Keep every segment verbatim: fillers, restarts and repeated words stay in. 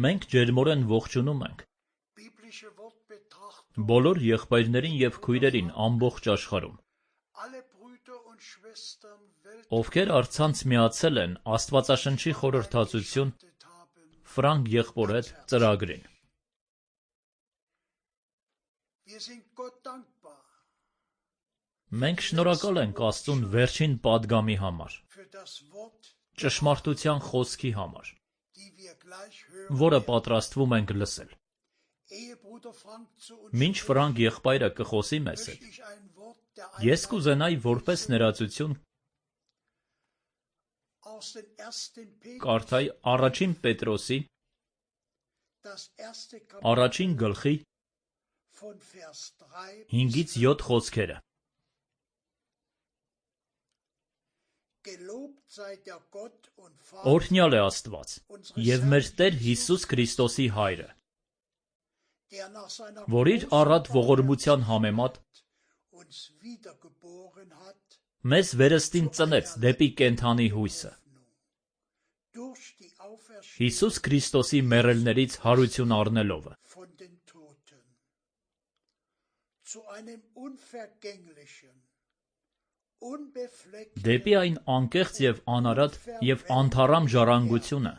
Մենք ջերմորեն ողջունում ենք բոլոր եղբայրներին և քույրերին ամբողջ աշխարհում, ովքեր առցանց միացել են Աստվածաշնչի խորհրդածություն Ֆրանկ եղբոր հետ ծրագրին։ Մենք շնորհակալ ենք Աստծուն վերջին պատգամի համար, ճշմարտության խոսքի համար, որը պատրաստվում ենք լսել։ Մինչ Ֆրանկ եղբայրը կխոսի մեզ հետ, ես կուզենայի որպես ներածություն կարդայի առաջին Պետրոսի առաջին գլխի հինգից յոթ խոսքերը։ Օրհնյալ է Աստված և մեր Տեր Հիսուս Քրիստոսի Հայրը, որ իր առատ ողորմության համեմատ մեզ վերստին ծնեց դեպի կենդանի հույսը, Հիսուս Քրիստոսի մեռելներից հարություն առնելով, դեպի այն անկեղծ և անարատ և անթառամ ժառանգությունը,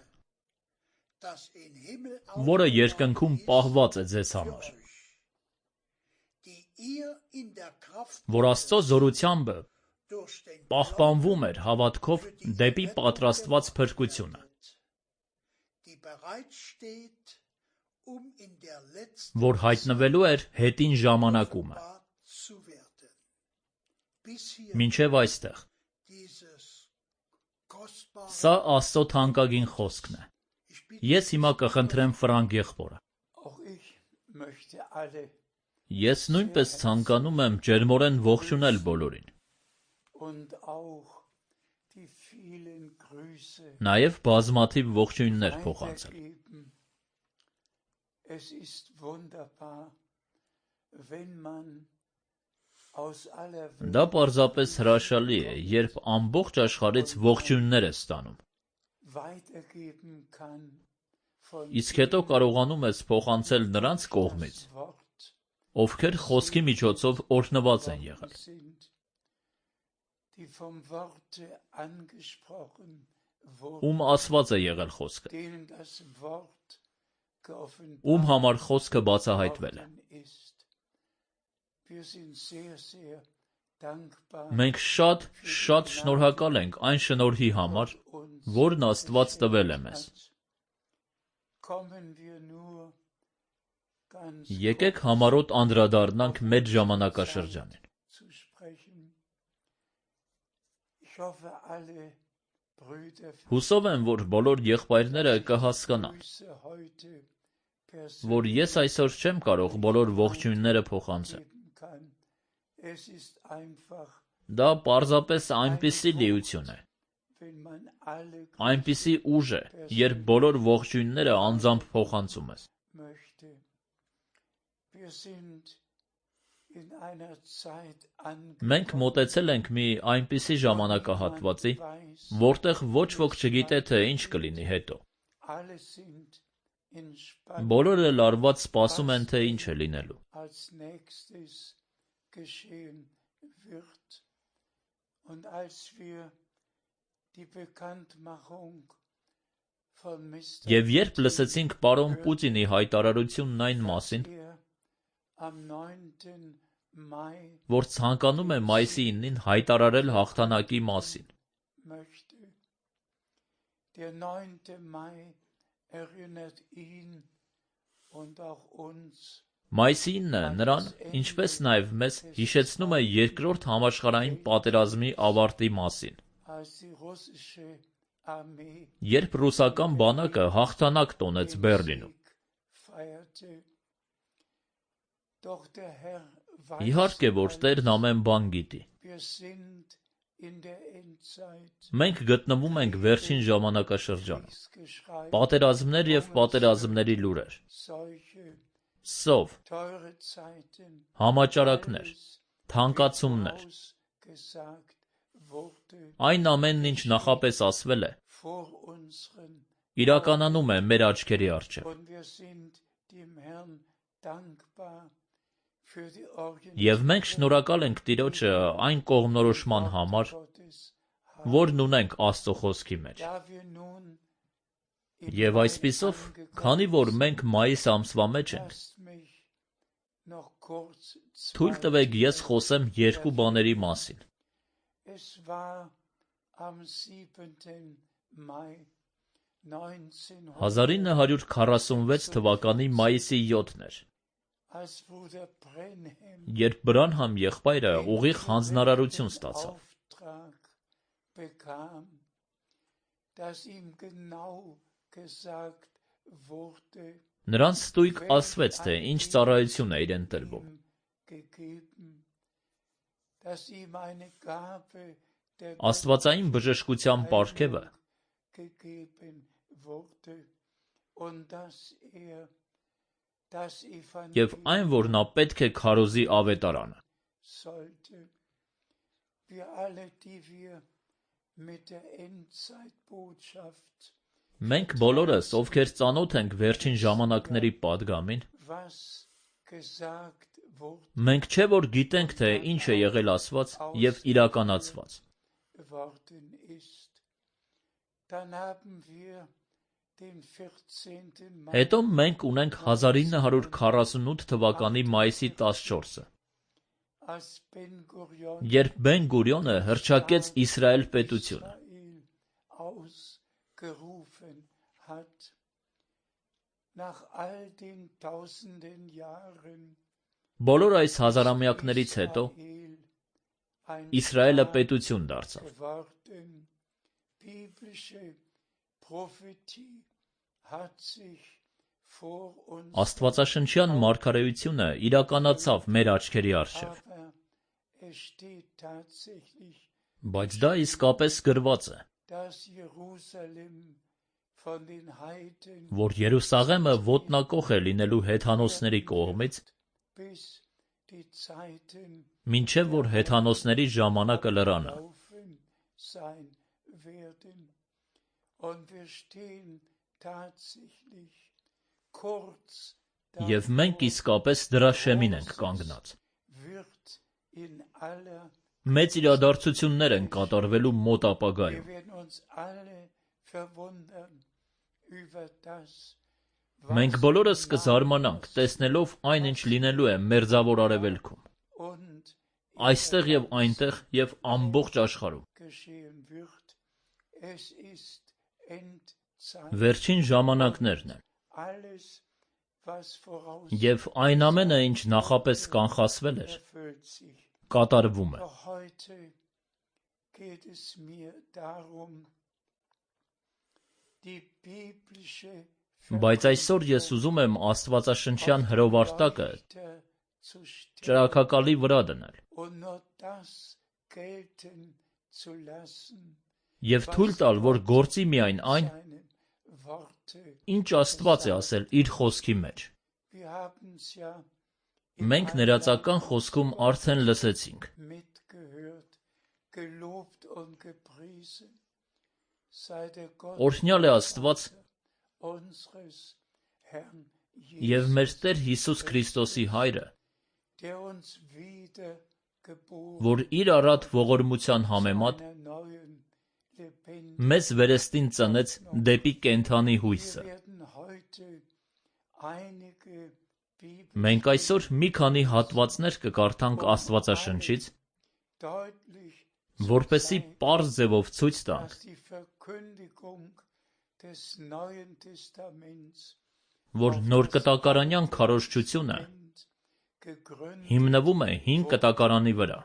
որը երկնքում պահված է ձեզ համար, որ Աստծո զորությամբ պահպանվում էր հավատքով դեպի պատրաստված փրկությունը, որ հայտնվելու էր հետին ժամանակումը։ Մինչև այստեղ։ Սա Աստծո թանկագին խոսքն է։ Ես հիմա կխնդրեմ Ֆրանկ եղբորը։ Ես նույնպես ցանկանում եմ ջերմորեն ողջունել բոլորին, նաև բազմաթիվ ողջույններ փոխանցել։ Դա պարզապես հրաշալի է, երբ ամբողջ աշխարհից ողջույններ ես ստանում, իսկ հետո կարողանում ես փոխանցել նրանց կողմից, ովքեր խոսքի միջոցով օրհնված են եղել, ում ասված է եղել խոսքը, ում համար խոսքը բացահայտվել է։ Մենք շատ, շատ շնորհակալ ենք այն շնորհի համար, որն Աստված տվել է մեզ։ Եկեք համառոտ անդրադառնանք մեր ժամանակաշրջանին։ Հուսով եմ, որ բոլոր եղբայրները կհասկանան, որ ես այսօր չեմ կարող բոլոր ողջույնները փոխանցել։ Դա պարզապես այնպիսի լիություն է, այնպիսի ուժ է, երբ բոլոր ողջույնները անձամբ փոխանցում ես։ Մենք մոտեցել ենք մի այնպիսի ժամանակահատվածի, որտեղ ոչ ոք չգիտե, թե ինչ կլինի հետո։ Բոլորը լարված սպասում են, թե ինչ է լինելու։ Եվ երբ լսեցինք պարոն Պուտինի հայտարարությունն այն մասին, որ ցանկանում է մայիսի իննին հայտարարել հաղթանակի մասին, մայիսի ինը նրան, ինչպես նաև մեզ, հիշեցնում է Երկրորդ համաշխարհային պատերազմի ավարտի մասին, երբ ռուսական բանակը հաղթանակ տոնեց Բեռլինում։ Իհարկե, որ Տերն ամեն բան գիտի։ Մենք գտնվում ենք վերջին ժամանակաշրջանում։ Պատերազմներ և պատերազմների լուրեր, սով, համաճարակներ, թանկացումներ, այն ամենն, ինչ նախապես ասվել է, իրականանում է մեր աչքերի առջև։ Եվ մենք շնորհակալ ենք Տիրոջը այն կողմնորոշման համար, որն ունենք Աստծո խոսքի մեջ։ Եվ այսպիսով, քանի որ մենք մայիս ամսվա մեջ ենք, թույլ տվեք ես խոսեմ երկու բաների մասին։ հազար ինը հարյուր քառասունվեց թվականի մայիսի յոթն էր, երբ Բրանհամ եղբայրը ուղիղ հանձնարարություն ստացավ։ Նրան ստույգ ասվեց, թե ինչ ծառայություն է իրեն տրվում։ Աստվածային բժշկության պարգևը և այն, որ նա պետք է քարոզի ավետարանը։ Մենք բոլորս, ովքեր ծանոթ ենք վերջին ժամանակների պատգամին, մենք չէ որ գիտենք, թե ինչ է եղել ասված և իրականացված։ Հետո մենք ունենք հազար ինը հարյուր քառասունութ թվականի մայիսի տասնչորսը, երբ Բեն-Գուրիոնը հռչակեց Իսրայել պետությունը։ Բոլոր այս հազարամյակներից հետո Իսրայելը պետություն դարձավ։ Աստվածաշնչյան մարգարեությունը իրականացավ մեր աչքերի առջև։ Բայց դա իսկապես գրված է, որ Երուսաղեմը ոտնակոխ է լինելու հեթանոսների կողմից, մինչև որ հեթանոսների ժամանակը լրանա։ Եվ մենք իսկապես դրա շեմին ենք կանգնած։ Մեծ իրադարձություններ են կատարվելու մոտ ապագայում։ Մենք բոլորս կզարմանանք, տեսնելով այն, ինչ լինելու է Մերձավոր Արևելքում, այստեղ և այնտեղ և ամբողջ աշխարհում։ Վերջին ժամանակներն են։ Եվ այն ամենը, ինչ նախապես կանխասվել էր, կատարվում է։ Բայց այսօր ես ուզում եմ աստվածաշնչյան հրովարտակը ճրագակալի վրա դնել և թույլ տալ, որ գործի միայն այն, ինչ Աստված է ասել իր խոսքի մեջ։ Մենք ներածական խոսքում արդեն լսեցինք. Օրհնյալ է Աստված և մեր Տեր Հիսուս Քրիստոսի Հայրը, որ իր առատ ողորմության համեմատ մեզ վերստին ծնեց դեպի կենդանի հույսը։ Մենք այսօր մի քանի հատվածներ կկարդանք Աստվածաշնչից, որպեսզի պարզ ձևով ցույց տանք, որ նոր կտակարանյան քարոզչությունը հիմնվում է հին կտակարանի վրա,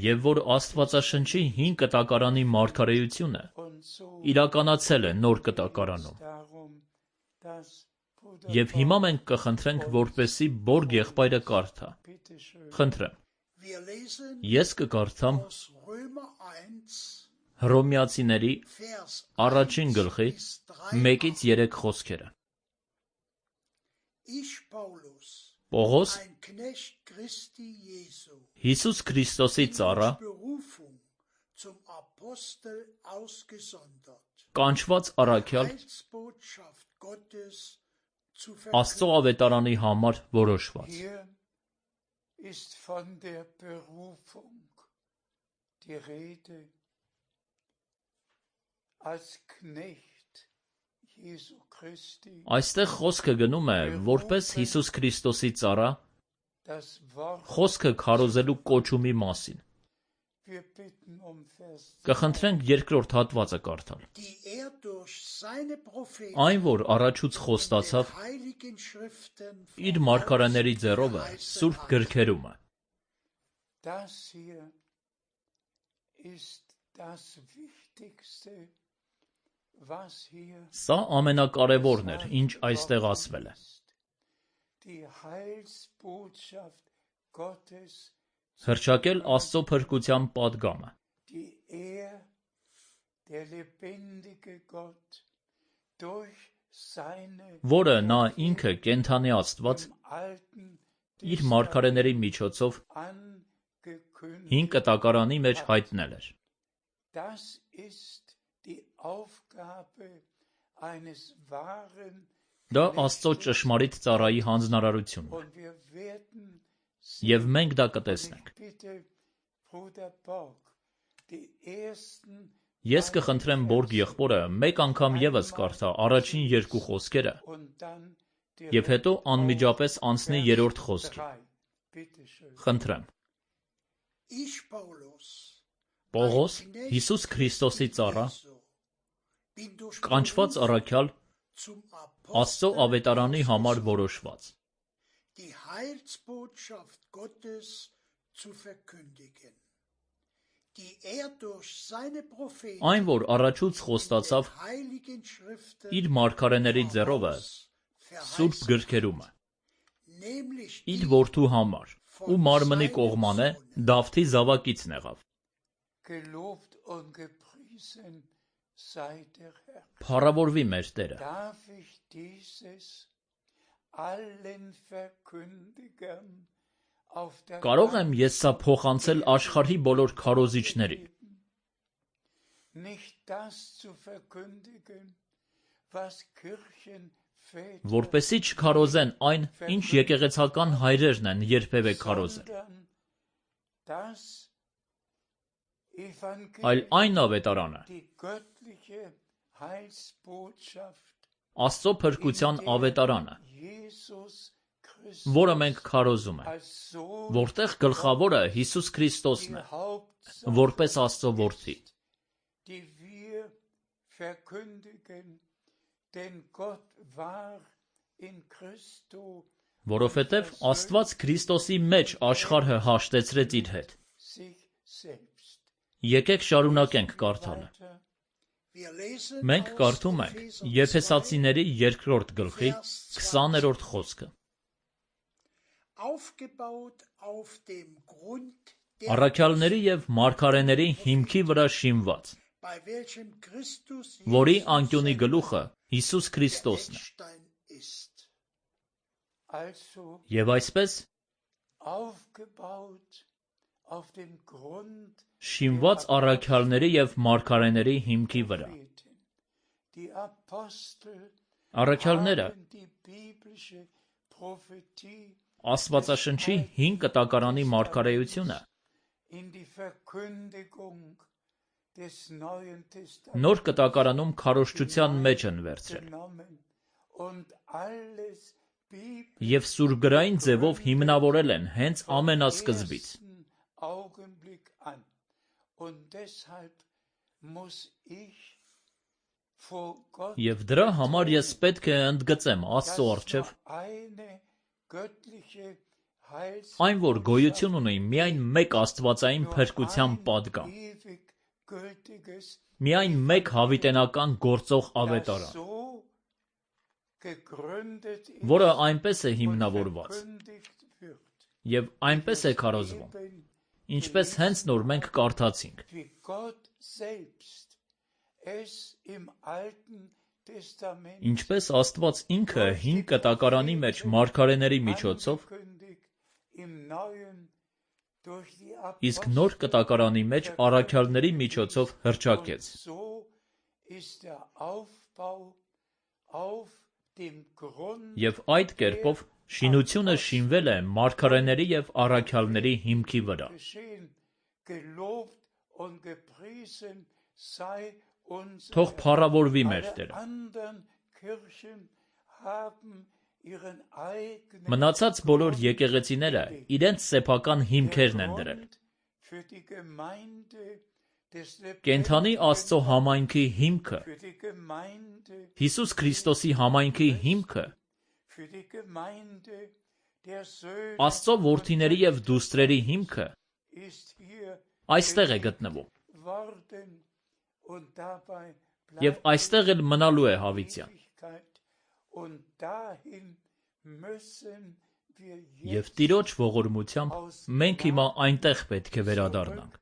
և որ Աստվածաշնչի հին կտակարանի մարգարեությունը իրականացել է նոր կտակարանում։ Եվ հիմա մենք կխնդրենք, որպեսզի Բորգ եղբայրը կարդա։ Խնդրեմ։ Ես կկարդամ Հռոմեացիների առաջին գլխի մեկից երեք խոսքերը։ Պողոս, Հիսուս Քրիստոսի ծառա, կանչված առաքյալ, Աստծո ավետարանի համար որոշված։ Այստեղ խոսքը գնում է որպես Հիսուս Քրիստոսի ծառա, խոսքը քարոզելու կոչումի մասին։ Կխնդրենք երկրորդ հատվածը կարդալ։ Այն, որ առաջուց խոստացավ իր մարգարեների ձեռով է սուրբ գրքերում է։ Սա ամենակարևորն էր, ինչ այստեղ ասվել է։ Հռչակել Աստծո փրկության պատգամը, որը նա ինքը կենդանի Աստված իր մարգարեների միջոցով հին կտակարանի մեջ հայտնել էր։ Դա Աստծո ճշմարիտ ծառայի հանձնարարությունն է, և մենք դա կտեսնենք։ Ես կխնդրեմ Բորգ եղբորը մեկ անգամ ևս կարդա առաջին երկու խոսքերը և հետո անմիջապես անցնի երրորդ խոսքին։ Խնդրեմ։ Պողոս, Հիսուս Քրիստոսի ծառա, կանչված առաքյալ, Աստծո ավետարանի համար որոշված։ Այն, որ առաջուց խոստացավ իր մարգարեների ձեռով է սուրբ գրքերում է, իր որդու համար, ու մարմնի կողմանե Դավթի զավակիցն եղավ։ Փառավորվի մեր Տերը։ Կարո՞ղ եմ ես սա փոխանցել աշխարհի բոլոր քարոզիչներին։ Որպեսզի չքարոզեն այն, ինչ եկեղեցական հայրերն են երբևէ քարոզել, այլ այն ավետարանը, Աստծո փրկության ավետարանը, որը մենք քարոզում ենք, որտեղ գլխավորը Հիսուս Քրիստոսն է, որպես Աստծո որդի։ Որովհետև Աստված Քրիստոսի մեջ աշխարհը հաշտեցրեց իր հետ։ Եկեք շարունակենք կարդալը։ Մենք կարդում ենք Եփեսացիների երկրորդ գլխի քսաներորդ խոսքը։ Առաքյալների և մարգարեների հիմքի վրա շինված, որի անկյունի գլուխը Հիսուս Քրիստոսն է։ Եվ այսպես, շինված առաքյալների և մարգարեների հիմքի վրա։ Առաքյալները Աստվածաշնչի հին կտակարանի մարգարեությունը նոր կտակարանում քարոզչության մեջ են վերցրել և սուրբգրային ձևով հիմնավորել են հենց ամենասկզբից։ Եվ դրա համար ես պետք է ընդգծեմ Աստծո առջև այն, որ գոյություն ունի միայն մեկ աստվածային փրկության պատգամ, միայն մեկ հավիտենական գործող ավետարան, որը այնպես է հիմնավորված և այնպես է քարոզվում, ինչպես հենց նոր մենք կարդացինք։ Ինչպես Աստված ինքը հին կտակարանի մեջ մարգարեների միջոցով, իսկ նոր կտակարանի մեջ առաքյալների միջոցով հռչակեց։ Եվ այդ կերպով շինությունը շինվել է մարգարեների և առաքյալների հիմքի վրա։ Թող փառավորվի մեր Տերը։ Մնացած բոլոր եկեղեցիները իրենց սեփական հիմքերն են դրել։ Կենդանի Աստծո համայնքի հիմքը, Հիսուս Քրիստոսի համայնքի հիմքը, Աստծո որդիների և դուստրերի հիմքը այստեղ է գտնվում։ Եվ այստեղ էլ մնալու է հավիտյան։ Եվ Տիրոջ ողորմությամբ մենք հիմա այնտեղ պետք է վերադառնանք։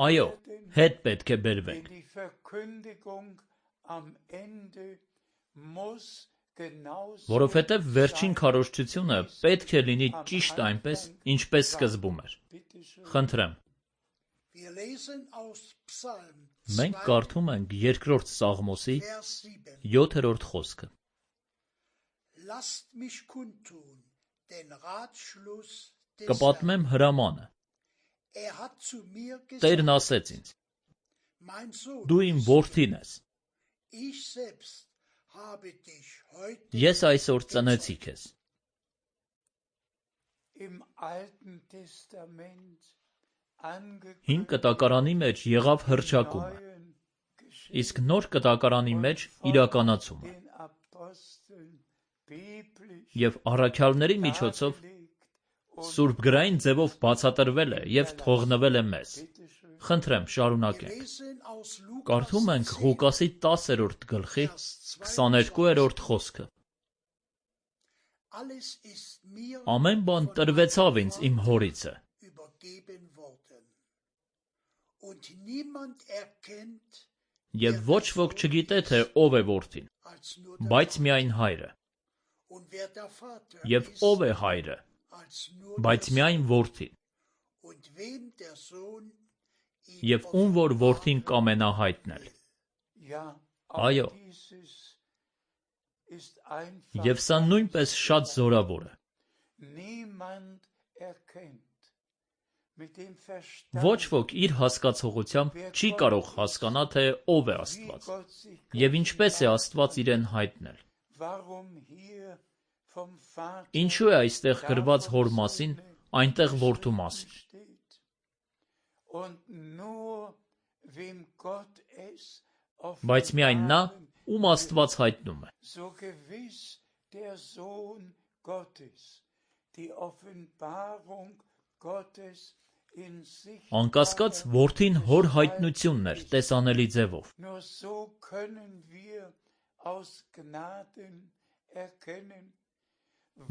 Այո, հետ պետք է բերվենք։ Որովհետև վերջին քարոզչությունը պետք է լինի ճիշտ այնպես, ինչպես սկզբում էր։ Խնդրեմ։ Մենք կարդում ենք երկրորդ Սաղմոսի յոթերորդ խոսքը։ Կպատմեմ հրամանը։ Տերն ասեց ինձ. դու իմ որդին ես։ Ես այսօր ծնեցի քեզ։ Հին կտակարանի մեջ եղավ հռչակումը, իսկ նոր կտակարանի մեջ իրականացումը։ Եվ առաքյալների միջոցով սուրբգրային ձևով բացատրվել է և թողնվել է մեզ։ Խնդրեմ, շարունակենք։ Կարդում ենք Ղուկասի տասերորդ գլխի քսաներկուերորդ խոսքը։ Ամեն բան տրվեցավ ինձ իմ հորիցը։ Եվ ոչ ոք չգիտե, թե ով է որդին, բայց միայն հայրը։ Եվ ով է հայրը, բայց միայն որդին։ Եվ ում որ որդին կամենա հայտնել։ Այո։ Եվ սա նույնպես շատ զորավոր է։ Ոչ ոք իր հասկացողությամբ չի կարող հասկանա, թե ով է Աստված, և ինչպես է Աստված իրեն հայտնել։ Ինչու է այստեղ գրված հոր մասին, այնտեղ որդու մասին։ Բայց միայն նա, ում Աստված հայտնում է։ Անկասկած, որդին հոր հայտնությունն էր տեսանելի ձևով։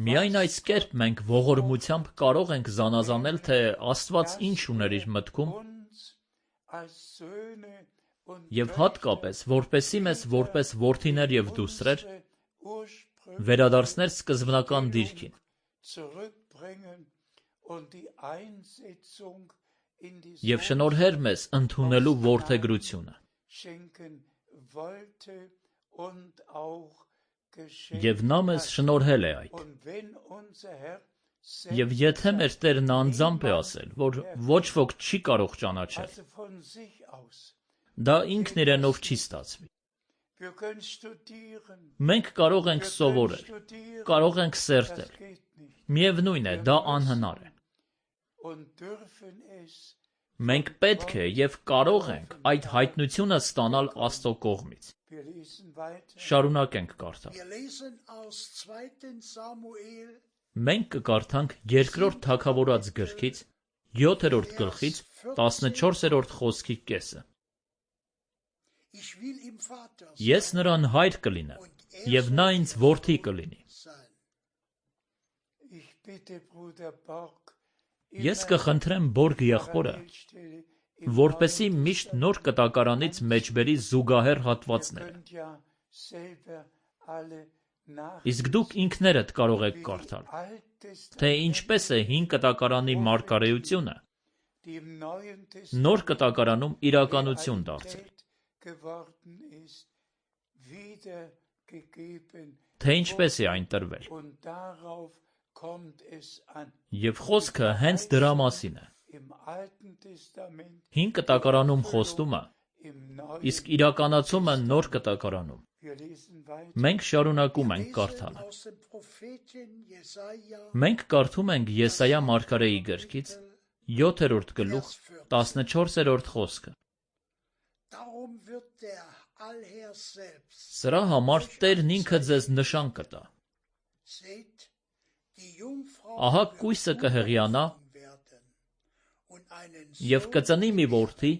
Միայն այս կերպ մենք ողորմությամբ կարող ենք զանազանել, թե Աստված ինչ ուներ իր մտքում, և հատկապես, որպեսզի մեզ որպես որդիներ և դուստրեր վերադարձներ սկզբնական դիրքին։ Եվ շնորհեր մեզ ընդունելու որդեգրությունը։ Եվ նա մեզ շնորհել է այդ։ Եվ եթե մեր Տերն անձամբ է ասել, որ ոչ ոք չի կարող ճանաչել, դա ինքն իրենով չի ստացվի։ Մենք կարող ենք սովորել, կարող ենք սերտել, միևնույն է, դա անհնար է։ Մենք պետք է և կարող ենք այդ հայտնությունը ստանալ Աստծո կողմից։ Շարունակենք կարդալ։ Մենք կկարդանք երկրորդ Թագավորաց գրքից յոթերորդ գլխից տասնչորսերորդ խոսքի կեսը։ Ես նրան հայր կլինեմ, և նա ինձ որդի կլինի։ Ես կխնդրեմ Բորգ եղբորը որպեսզի միշտ նոր կտակարանից մեջբերի զուգահեռ հատվածները։ Իսկ դուք ինքներդ կարող եք կարդալ, թե ինչպես է հին կտակարանի մարգարեությունը նոր կտակարանում իրականություն դարձել, թե ինչպես է այն տրվել։ Եվ խոսքը հենց դրա մասին է։ Հին կտակարանում խոստումը, իսկ իրականացումը նոր կտակարանում։ Մենք շարունակում ենք կարդալը։ Մենք կարդում ենք Եսայիա մարգարեի գրքից յոթերորդ գլուխ տասնչորսերորդ խոսքը։ Սրա համար Տերն ինքը ձեզ նշան կտա։ Ահա կույսը կհեղիանա և կծնի մի որդի,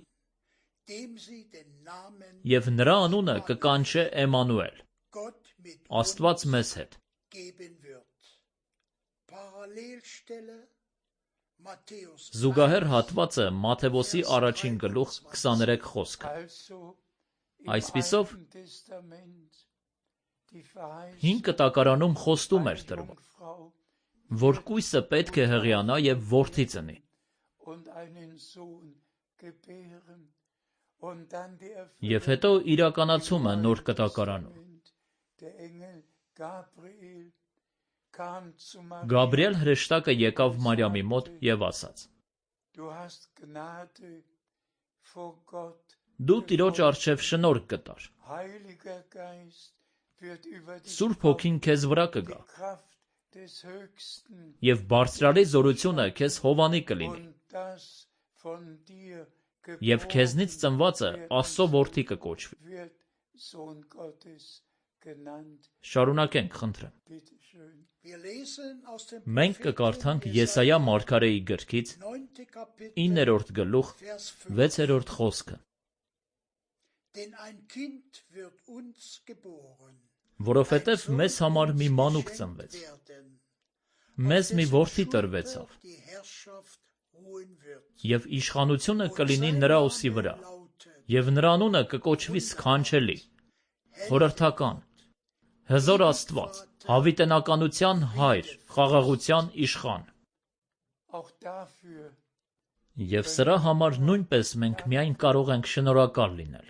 և նրա անունը կկանչե Էմմանուել, Աստված մեզ հետ։ Զուգահեռ հատվածը Մատթեոսի առաջին գլուխ քսաներեք խոսքը։ Այսպիսով, հին կտակարանում խոստում էր տրվում, որ կույսը պետք է հեղիանա և որդի ծնի։ Եվ հետո իրականացումը նոր կտակարանում։ Գաբրիել հրեշտակը եկավ Մարիամի մոտ և ասաց. Դու Տիրոջ առջև շնորհք կտար, Սուրբ Հոգին քեզ վրա կգա, և բարձրարի զորությունը քեզ հովանի կլինի, և քեզնից ծնվածը Աստծո որդի կկոչվի։ Շարունակենք, խնդրեմ։ Մենք կկարդանք Եսայիա մարգարեի գրքից իններորդ գլուխ վեցերորդ խոսքը։ Որովհետև մեզ համար մի մանուկ ծնվեց, մեզ մի որդի տրվեցավ, և իշխանությունը կլինի նրա ուսի վրա, և նրա անունը կկոչվի Սքանչելի, Խորհրդական, Հզոր Աստված, Հավիտենականության Հայր, Խաղաղության Իշխան։ Եվ սրա համար նույնպես մենք միայն կարող ենք շնորհակալ լինել։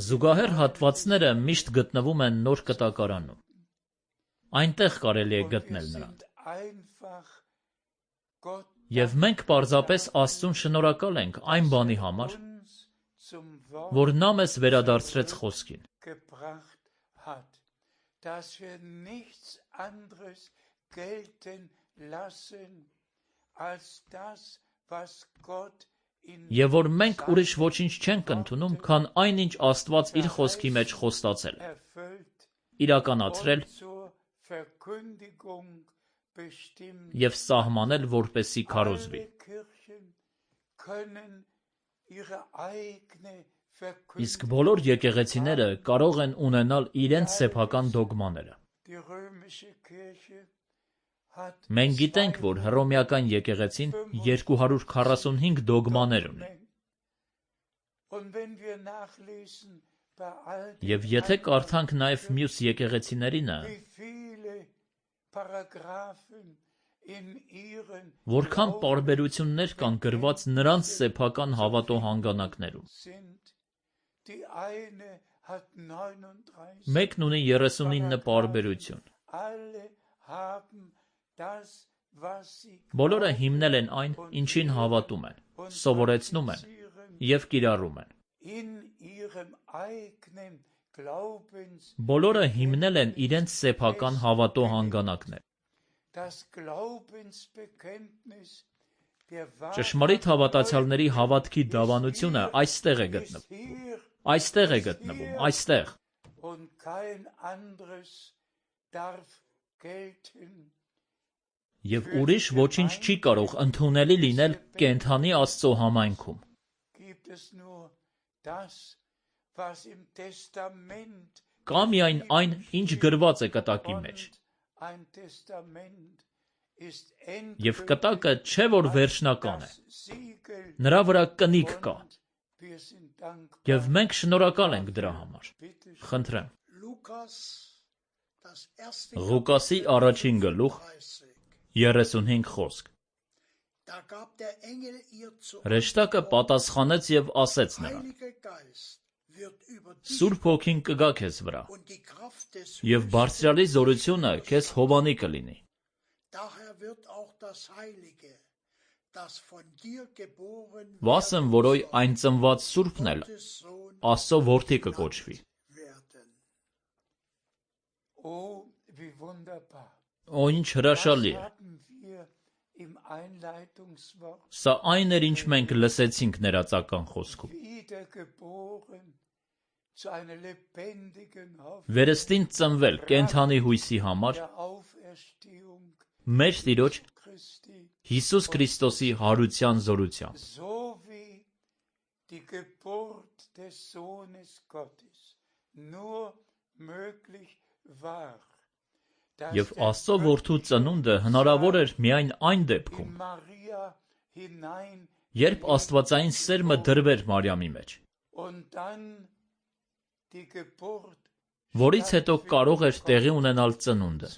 Զուգահեռ հատվածները միշտ գտնվում են նոր կտակարանում։ Այնտեղ կարելի է գտնել նրան։ Եվ մենք պարզապես Աստծուն շնորհակալ ենք այն բանի համար, որ նա մեզ վերադարձրեց խոսքին։ Եվ որ մենք ուրիշ ոչինչ չենք ընդունում, քան այն, ինչ Աստված իր խոսքի մեջ խոստացել է, իրականացրել և սահմանել, որպեսզի քարոզվի։ Իսկ բոլոր եկեղեցիները կարող են ունենալ իրենց սեփական դոգմաները։ Մենք գիտենք, որ Հռոմեական եկեղեցին երկու հարյուր քառասունհինգ դոգմաներ ունի։ Եվ եթե կարդանք նաև մյուս եկեղեցիներինը, որքան պարբերություններ կան գրված նրանց սեփական հավատո հանգանակներում։ Մեկն ունի երեսունինը պարբերություն։ Բոլորը հիմնել են այն, ինչին հավատում են, սովորեցնում են և կիրառում են։ Բոլորը հիմնել են իրենց սեփական հավատո հանգանակներ։ Ճշմարիտ հավատացյալների հավատքի դավանությունը այստեղ է գտնվում, այստեղ է գտնվում, այստեղ։ Եվ ուրիշ ոչինչ չի կարող ընդունելի լինել կենդանի Աստծո համայնքում։ Կա միայն այն, ինչ գրված է կտակի մեջ։ Եվ կտակը չէ որ վերջնական է, նրա վրա կնիկ կա, և մենք շնորհակալ ենք դրա համար, խնդրեմ։ Ղուկասի առաջին գլուխ, երեսունհինգ խոսք։ Հրեշտակը պատասխանեց և ասեց նրան. Սուրբ Հոգին կգա քեզ վրա, և Բարձրյալի զորությունը քեզ հովանի կլինի։ Վասն որոյ այն ծնված Սուրբն էլ Աստծո որդի կկոչվի։ Օ, ինչ հրաշալի է։ Սա այն էր, ինչ մենք լսեցինք ներածական խոսքում։ Վերստին ծնվել կենդանի հույսի համար մեր Տիրոջ Հիսուս Քրիստոսի հարության զորությամբ։ Եվ Աստծո որդու ծնունդը հնարավոր էր միայն այն դեպքում, երբ աստվածային սերմը դրվեր Մարիամի մեջ, որից հետո կարող էր տեղի ունենալ ծնունդը։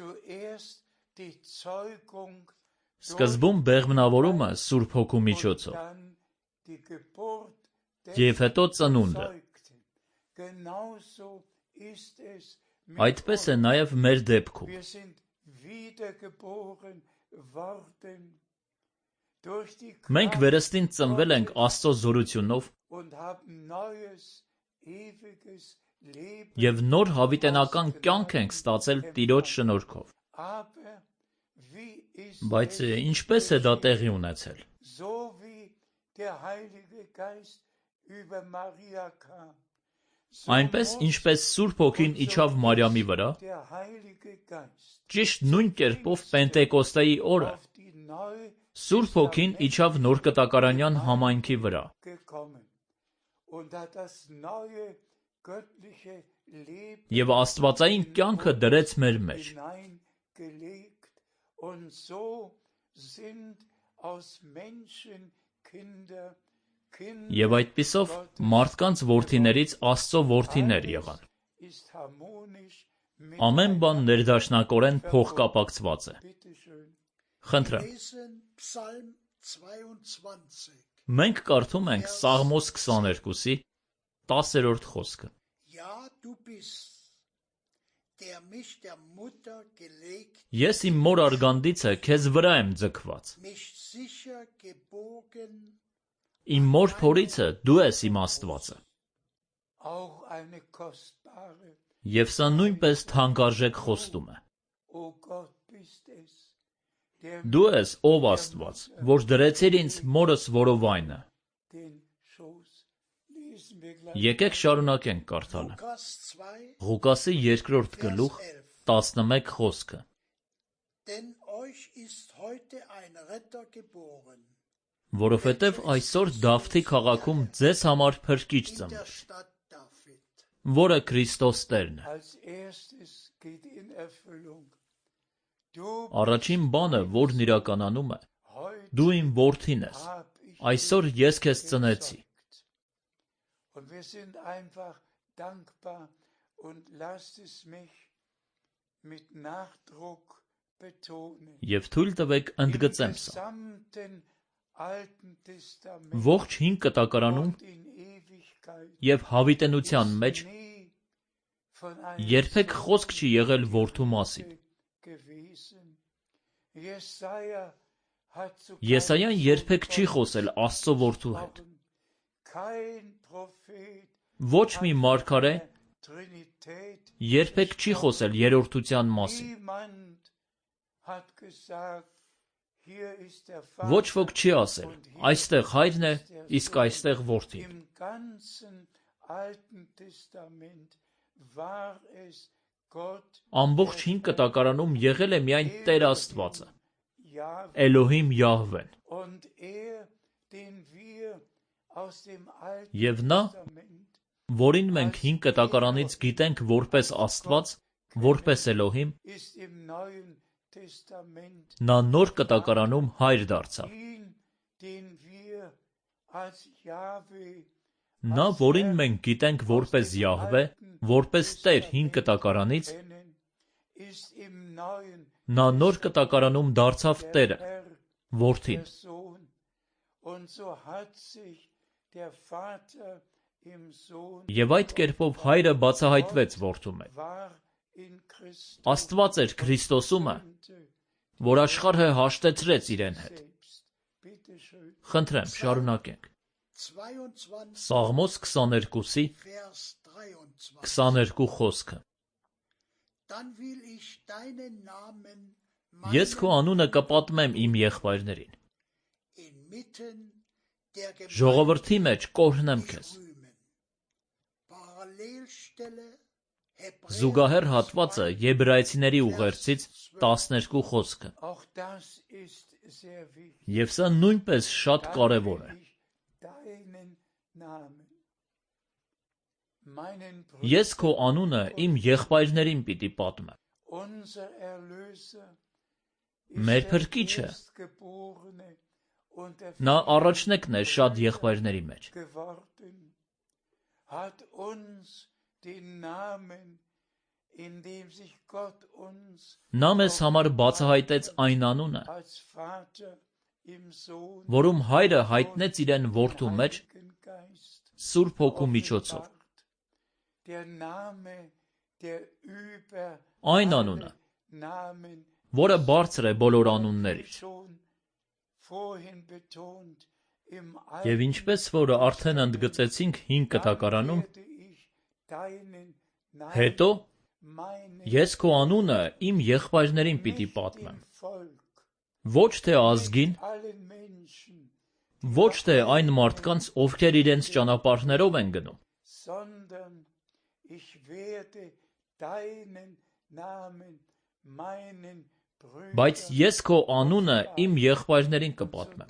Սկզբում բեղմնավորումը Սուրբ Հոգու միջոցով, և հետո ծնունդը։ Այդպես է նաև մեր դեպքում։ Մենք վերստին ծնվել ենք Աստծո զորությունով և նոր հավիտենական կյանք ենք ստացել Տիրոջ շնորհքով։ Բայց ինչպե՞ս է դա տեղի ունեցել։ Այնպես, ինչպես Սուրբ Հոգին իջավ Մարիամի վրա, ճիշտ նույն կերպով Պենտեկոստեի օրը Սուրբ Հոգին իջավ Նոր Կտակարանյան համայնքի վրա։ Եվ աստվածային կյանքը դրեց մեր մեջ։ Եվ այդպիսով մարդկանց որդիներից Աստծո որդիներ եղան։ Ամեն բան ներդաշնակորեն փոխկապակցված է։ Խնդրեմ։ Մենք կարդում ենք Սաղմոս քսաներկուսի տասերորդ խոսքը։ Ես իմ մոր արգանդիցը քեզ վրա եմ ձգված։ Իմ մոր փորիցը դու ես իմ Աստվածը։ Եվ սա նույնպես թանկարժեք խոստում է։ Դու ես, ով Աստված, որ դրեցիր ինձ մորս որովայնը։ Եկեք շարունակենք կարդալը։ Ղուկասի երկրորդ գլուխ, տասնմեկ խոսքը։ Որովհետև այսօր Դավթի քաղաքում ձեզ համար փրկիչ ծնվեց, որը Քրիստոս Տերն է։ Առաջին բանը, որն իրականանում է, դու իմ որդին ես, այսօր ես քեզ ծնեցի։ Եվ թույլ տվեք ընդգծեմ սա։ Ողջ հին կտակարանում և հավիտենության մեջ երբեք խոսք չի եղել որդու մասին։ Եսայան երբեք չի խոսել Աստծո որդու հետ։ Ոչ մի մարգարե երբեք չի խոսել երրորդության մասին։ Ոչ ոք չի ասել. այստեղ հայրն է, իսկ այստեղ որդին։ Ամբողջ հին կտակարանում եղել է միայն Տեր Աստվածը, Էլոհիմ Յահվեն։ Եվ նա, որին մենք հին կտակարանից գիտենք որպես Աստված, որպես Էլոհիմ, Նա նոր կտակարանում հայր դարձավ։ Նա, որին մենք գիտենք որպես Յահվե, որպես Տեր հին կտակարանից, նա նոր կտակարանում դարձավ Տերը, Որդին։ Եվ այդ կերպով հայրը բացահայտվեց որդու մեջ։ Աստված էր Քրիստոսումը, որ աշխարհը հաշտեցրեց իրեն հետ։ Խնդրեմ, շարունակենք։ Սաղմոս քսաներկուսի քսաներկու խոսքը։ Ես քո անունը կպատմեմ իմ եղբայրներին։ Ժողովրդի մեջ կօրհնեմ քեզ։ Զուգահեռ հատվածը Եբրայեցիների ուղերձից տասներկու խոսքը։ Եվ սա նույնպես շատ կարևոր է։ Ես քո անունը իմ եղբայրներին պիտի պատմեմ։ Մեր Փրկիչը, նա առաջնեկն է շատ եղբայրների մեջ։ Նա մեզ համար բացահայտեց այն անունը, որում հայրը հայտնեց իրեն որդու մեջ Սուրբ Հոգու միջոցով։ Այն անունը, որը բարձր է բոլոր անուններից։ Եվ ինչպես որ արդեն ընդգծեցինք հին կտակարանում, հետո ես քո անունը իմ եղբայրներին պիտի պատմեմ։ Ոչ թե ազգին, ոչ թե այն մարդկանց, ովքեր իրենց ճանապարհներով են գնում, բայց ես քո անունը իմ եղբայրներին կպատմեմ։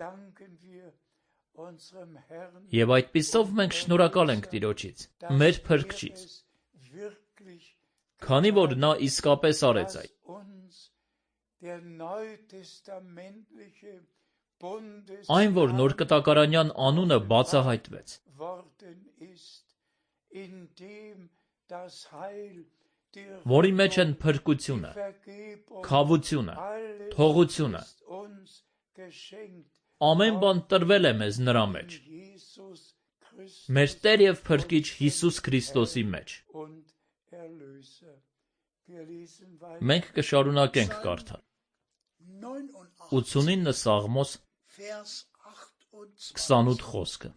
Եվ այդպիսով մենք շնորհակալ ենք Տիրոջից, մեր Փրկչից, քանի որ նա իսկապես արեց այդ։ Այն, որ նոր կտակարանյան անունը բացահայտվեց, որի մեջ են փրկությունը, քավությունը, թողությունը, ամեն բան տրվել է մեզ նրա մեջ, մեր Տեր և Փրկիչ Հիսուս Քրիստոսի մեջ։ Մենք կշարունակենք կարդալ։ ութսունինը Սաղմոս քսանութ խոսքը։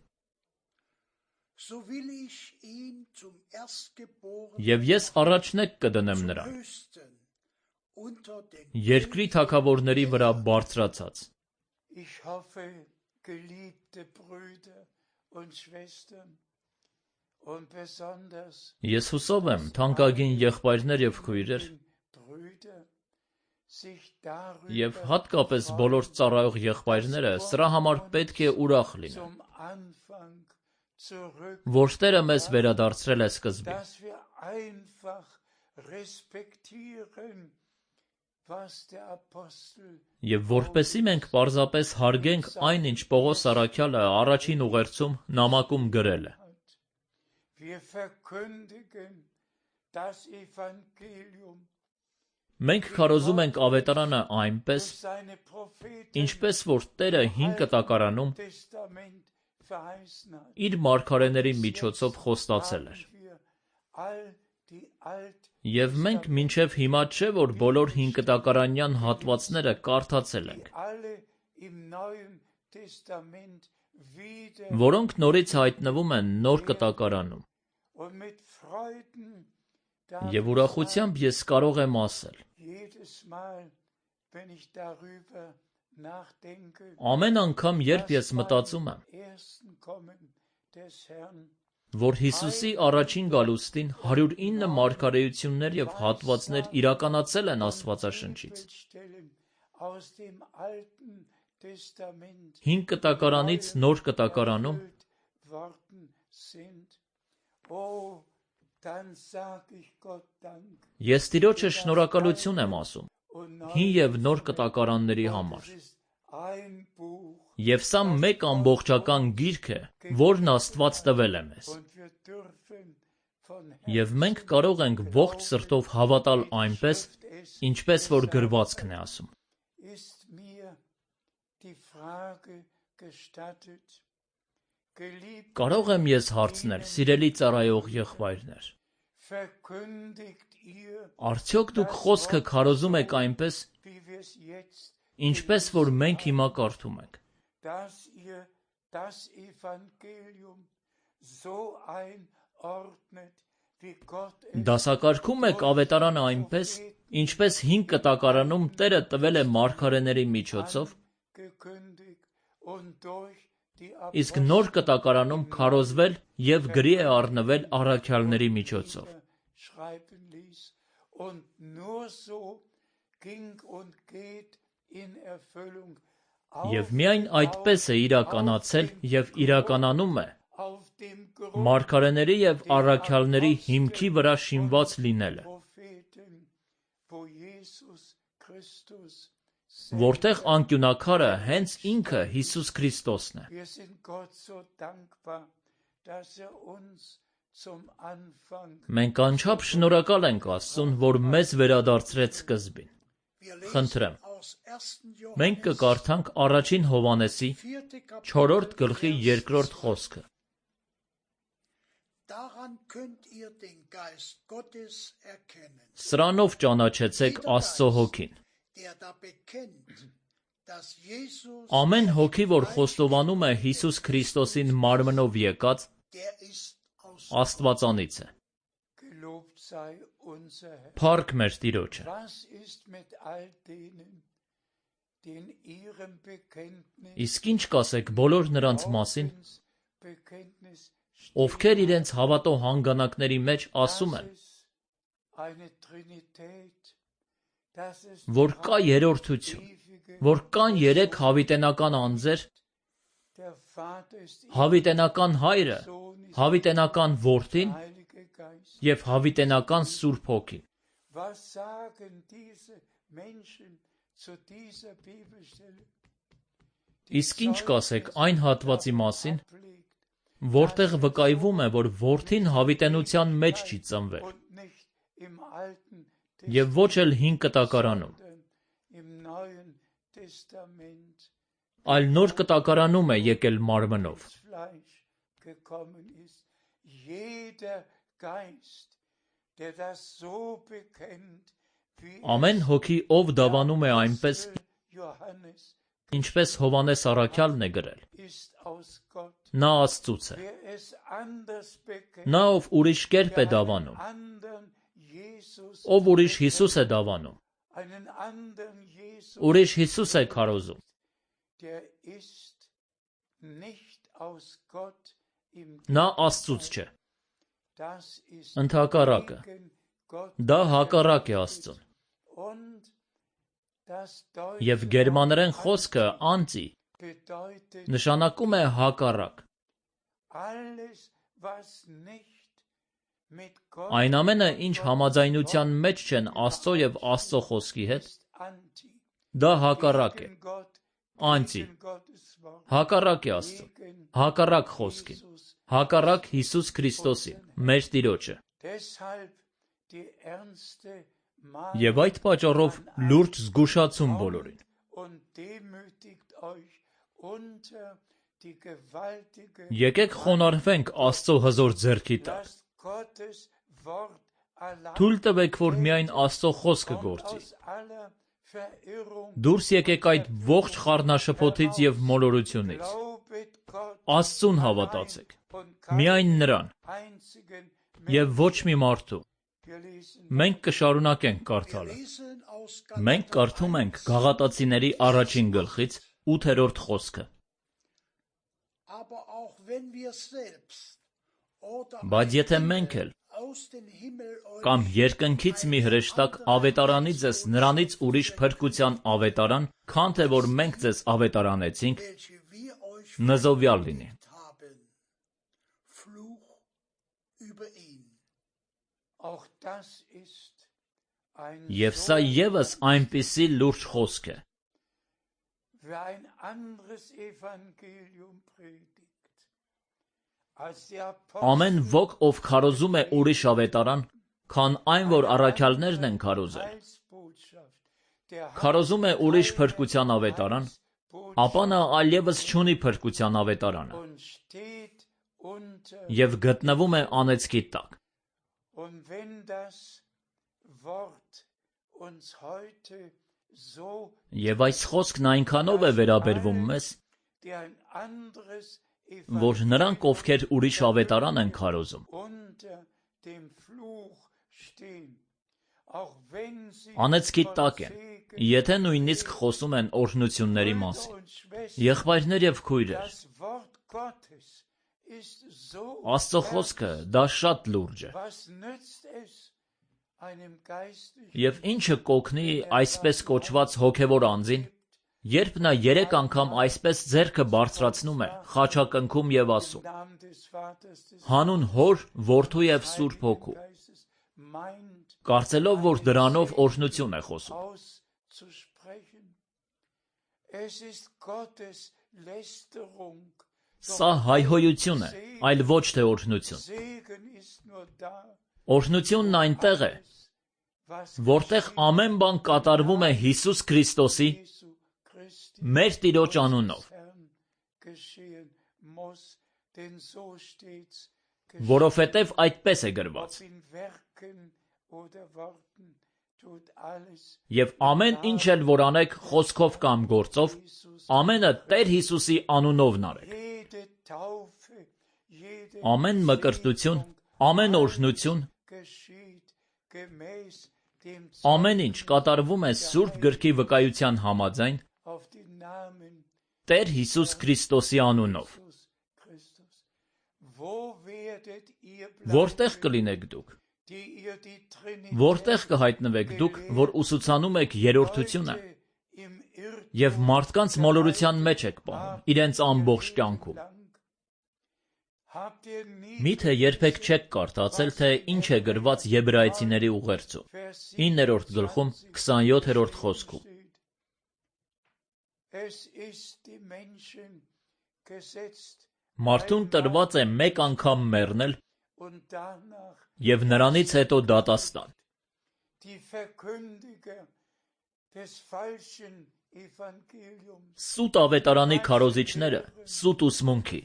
Եվ ես առաջնեկ կդնեմ նրան, երկրի թագավորների վրա բարձրացած։ Ես հուսով եմ, թանկագին եղբայրներ և քույրեր, և հատկապես բոլոր ծառայող եղբայրները սրա համար պետք է ուրախ լինեն, որ Տերը մեզ վերադարձրել է սկզբին։ Եվ որպեսզի մենք պարզապես հարգենք այն, ինչ Պողոս առաքյալը առաջին ուղերձում նամակում գրել է։ Մենք քարոզում ենք ավետարանը այնպես, ինչպես որ Տերը հին կտակարանում իր մարգարեների միջոցով խոստացել էր։ Եվ մենք մինչև հիմա չէ, որ բոլոր հինկտակարանյան հատվածները կարդացել ենք, որոնք նորից հայտնվում են նոր կտակարանում։ Եվ ուրախությամբ ես կարող եմ ասել. ամեն անգամ, երբ ես մտածում եմ, որ Հիսուսի առաջին գալուստին հարյուր ինը մարգարեություններ և հատվածներ իրականացել են Աստվածաշնչից, հին կտակարանից նոր կտակարանում, ես Տիրոջը շնորհակալություն եմ ասում, հին և նոր կտակարանների համար։ Եվ սա մեկ ամբողջական գիրք է, որն Աստված տվել է մեզ։ Եվ մենք կարող ենք ողջ սրտով հավատալ այնպես, ինչպես որ գրվածքն է ասում։ Կարո՞ղ եմ ես հարցնել, սիրելի ծառայող եղբայրներ, արդյոք դուք խոսքը քարոզում եք այնպես, ինչպես որ մենք հիմա կարդում ենք։ Դասակարգում եք ավետարանը այնպես, ինչպես հին կտակարանում Տերը տվել է մարգարեների միջոցով, իսկ նոր կտակարանում քարոզվել և գրի է առնվել առաքյալների միջոցով։ Եվ միայն այդպես է իրականացել և իրականանում է մարգարեների և առաքյալների հիմքի վրա շինված լինելը, որտեղ անկյունաքարը հենց ինքը Հիսուս Քրիստոսն է։ Մենք անչափ շնորհակալ ենք Աստծուն, որ մեզ վերադարձրեց սկզբին։ Խնդրեմ, մենք կկարդանք առաջին Հովհաննեսի չորրորդ գլխի երկրորդ խոսքը։ Սրանով ճանաչեցեք Աստծո հոգին։ Ամեն հոգի, որ խոստովանում է Հիսուս Քրիստոսին մարմնով եկած, Աստվածանից է։ Փառք մեր Տիրոջը։ Իսկ ինչ կասեք բոլոր նրանց մասին, ովքեր իրենց հավատո հանգանակների մեջ ասում են, որ կա երրորդություն, որ կան երեք հավիտենական անձեր, հավիտենական Հայրը, հավիտենական Որդին և հավիտենական Սուրբ Հոգին։ Իսկ ինչ կասեք այն հատվածի մասին, որտեղ վկայվում է, որ Որդին հավիտենության մեջ չի ծնվել, և ոչ էլ հին կտակարանում, այլ նոր կտակարանում է եկել մարմնով։ Ամեն հոգի, ով դավանում է այնպես, ինչպես Հովհաննես առաքյալն է գրել, նա Աստծուց է։ Նա, ով ուրիշ կերպ է դավանում, ով ուրիշ Հիսուս է դավանում, ուրիշ Հիսուս է քարոզում, նա Աստծուց չէ։ Ընդհակառակը, դա հակառակ է Աստծուն։ Եվ գերմաներեն խոսքը «անտի» նշանակում է հակառակ։ Այն ամենը, ինչ համաձայնության մեջ չեն Աստծո և Աստծո խոսքի հետ, դա հակառակ է, անտի, հակառակ է Աստծուն, հակառակ խոսքին, հակառակ Հիսուս Քրիստոսին, մեր Տիրոջը։ Եվ այդ պատճառով լուրջ զգուշացում բոլորին։ Եկեք խոնարհվենք Աստծո հզոր ձեռքի տակ։ Թույլ տվեք, որ միայն Աստծո խոսքը գործի։ Դուրս եկեք այդ ողջ խառնաշփոթից և մոլորությունից։ Աստծուն հավատացեք, միայն Նրան, և ոչ մի մարդու։ Մենք կշարունակենք կարդալը։ Մենք կարդում ենք Գաղատացիների առաջին գլխից ութերորդ խոսքը։ Բայց եթե մենք էլ կամ երկնքից մի հրեշտակ ավետարանի ձեզ նրանից ուրիշ փրկության ավետարան, քան թե որ մենք ձեզ ավետարանեցինք, նզովյալ լինի։ Եվ սա ևս այնպիսի լուրջ խոսք է, ամեն ոք, ով քարոզում է ուրիշ ավետարան, քան այն, որ առաքյալներն են քարոզել, քարոզում է ուրիշ փրկության ավետարան, ապա նա այլևս չունի փրկության ավետարանը և գտնվում է անեծքի տակ։ Եվ այս խոսքն այնքանով է վերաբերվում մեզ, որ նրանք, ովքեր ուրիշ ավետարան են քարոզում, անեծքի տակ են, եթե նույնիսկ խոսում են օրհնությունների մասին։ Եղբայրներ և քույրեր, Աստծո խոսքը դա շատ լուրջ է։ Եվ ինչը կօգնի այսպես կոչված հոգևոր անձին, երբ նա երեք անգամ այսպես ձեռքը բարձրացնում է, խաչակնքում և ասում. հանուն Հոր, Որդու և Սուրբ Հոգու, կարծելով, որ դրանով օրհնություն է խոսում։ Սա հայհոյություն է, այլ ոչ թե օրհնություն։ Օրհնությունն այնտեղ է, որտեղ ամեն բան կատարվում է Հիսուս Քրիստոսի, մեր Տիրոջ անունով, որովհետև այդպես է գրված. և ամեն ինչ էլ որ անեք խոսքով կամ գործով, ամենը Տեր Հիսուսի անունովն արեք։ Ամեն մկրտություն, ամեն օրհնություն, ամեն ինչ կատարվում է Սուրբ Գրքի վկայության համաձայն Տեր Հիսուս Քրիստոսի անունով։ Որտե՞ղ կլինեք դուք։ Որտե՞ղ կհայտնվեք դուք, որ ուսուցանում եք երրորդությունը և մարդկանց մոլորության մեջ եք պահում, իրենց ամբողջ կյանքում։ Միթե երբեք չեք կարդացել, թե ինչ է գրված Եբրայեցիների ուղերձում, իններորդ գլխում, քսանյոթերորդ խոսքում. Մարդուն տրված է մեկ անգամ մեռնել և նրանից հետո դատաստան։ Սուտ ավետարանի քարոզիչները, սուտ ուսմունքի,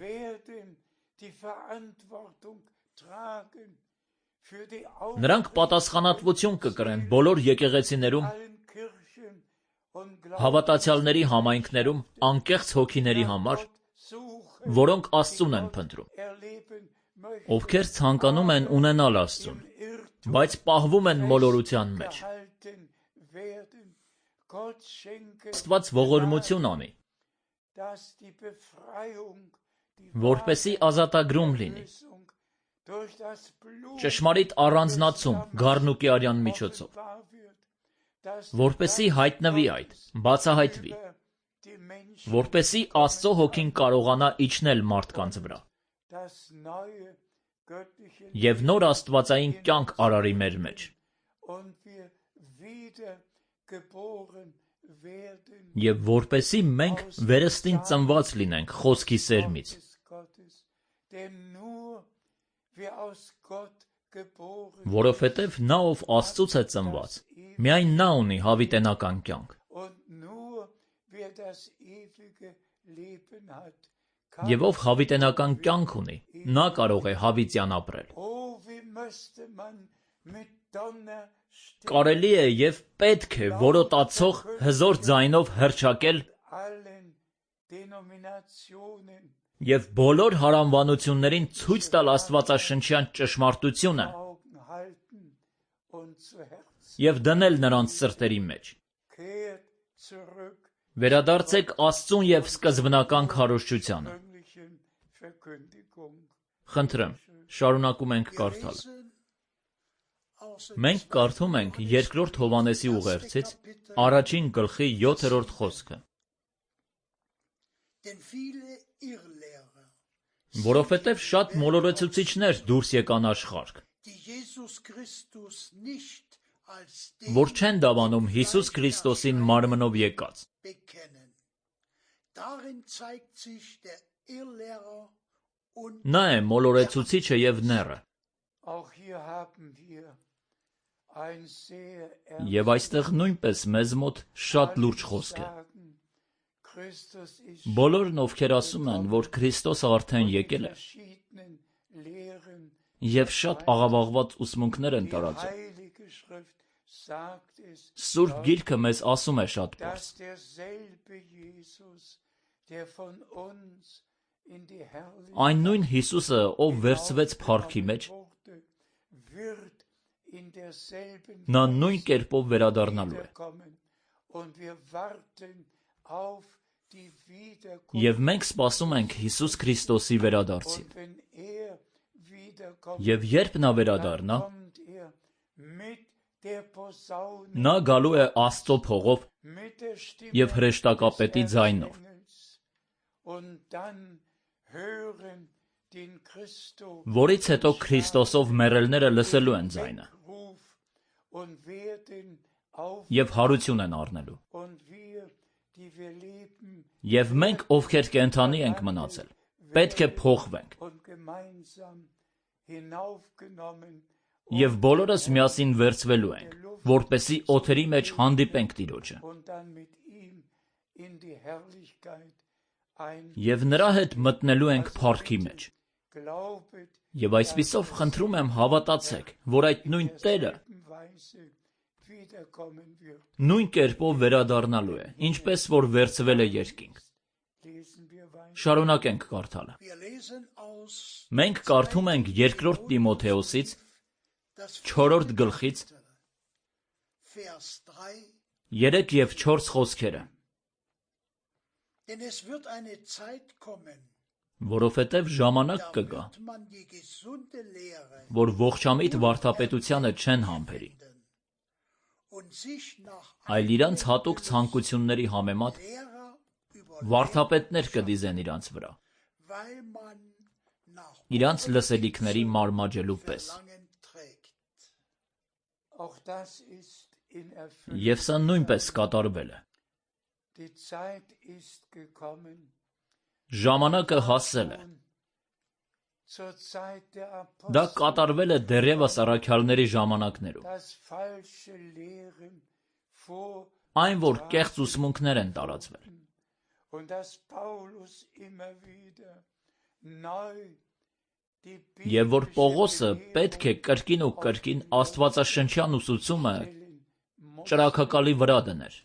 նրանք պատասխանատվություն կկրեն բոլոր եկեղեցիներում, հավատացյալների համայնքներում, անկեղծ հոգիների համար, որոնք Աստծուն են փնտրում, ովքեր ցանկանում են ունենալ Աստծուն, բայց պահվում են մոլորության մեջ։ Աստված ողորմություն անի, որպեսզի ազատագրում լինի, ճշմարիտ առանձնացում գառնուկի արյան միջոցով, որպեսզի հայտնվի այդ, բացահայտվի, որպեսզի Աստծո հոգին կարողանա իջնել մարդկանց վրա և նոր աստվածային կյանք արարի մեր մեջ, և որպեսզի մենք վերստին ծնված լինենք խոսքի սերմից, որովհետև նա, ով Աստծուց է ծնված, միայն նա ունի հավիտենական կյանք, և ով հավիտենական կյանք ունի, նա կարող է հավիտյան ապրել։ Կարելի է և պետք է որոտացող հզոր ձայնով հռչակել և բոլոր հարանվանություններին ցույց տալ աստվածաշնչյան ճշմարտությունը և դնել նրանց սրտերի մեջ։ Վերադարձեք Աստծուն և սկզբնական քարոզչությանը։ Խնդրեմ, շարունակում ենք կարդալը։ Մենք կարդում ենք Երկրորդ Հովհաննեսի ուղերձից առաջին գլխի յոթերորդ խոսքը. որովհետև շատ մոլորեցուցիչներ դուրս եկան աշխարհ, որ չեն դավանում Հիսուս Քրիստոսին մարմնով եկած։ Նա է մոլորեցուցիչը և նեռը։ Եվ այստեղ նույնպես մեզ մոտ շատ լուրջ խոսք է։ Բոլորն, ովքեր ասում են, որ Քրիստոսը արդեն եկել է, և շատ աղավաղված ուսմունքներ են տարածում, Սուրբ Գիրքը մեզ ասում է շատ պարզ. այն նույն Հիսուսը, ով վերցվեց փառքի մեջ, նա նույն կերպով վերադառնալու է։ Եվ մենք սպասում ենք Հիսուս Քրիստոսի վերադարձին։ Եվ երբ նա վերադառնա, նա գալու է Աստծո փողով և հրեշտակապետի ձայնով։ Որից հետո Քրիստոսով մեռելները լսելու են ձայնը և հարություն են առնելու։ Եվ մենք, ովքեր կենդանի ենք մնացել, պետք է փոխվենք և բոլորս միասին վերցվելու ենք, որպեսզի օդերի մեջ հանդիպենք Տիրոջը։ Եվ նրա հետ մտնելու ենք փառքի մեջ։ Եվ այսպիսով խնդրում եմ հավատացեք, որ այդ նույն Տերը նույն կերպով վերադառնալու է, ինչպես որ վերցվել է երկինք։ Շարունակենք կարդալը։ Մենք կարդում ենք երկրորդ Տիմոթեոսից չորրորդ գլխից երեք և չորս խոսքերը։ Որովհետև ժամանակ կգա, որ ողջամիտ վարդապետությանը չեն համբերի, այլ իրանց հատուկ ցանկությունների համեմատ վարդապետներ կդիզեն իրանց վրա, իրանց լսելիքների մարմաջելու պես։ Եվ սա նույնպես կատարվել է։ Ժամանակը հասել է։ Դա կատարվել է դեռևս առաքյալների ժամանակներում։ Այն, որ կեղծ ուսմունքներ են տարածվել։ Եվ որ Պողոսը պետք է կրկին ու կրկին աստվածաշնչյան ուսուցումը ճրագակալի վրա դներ։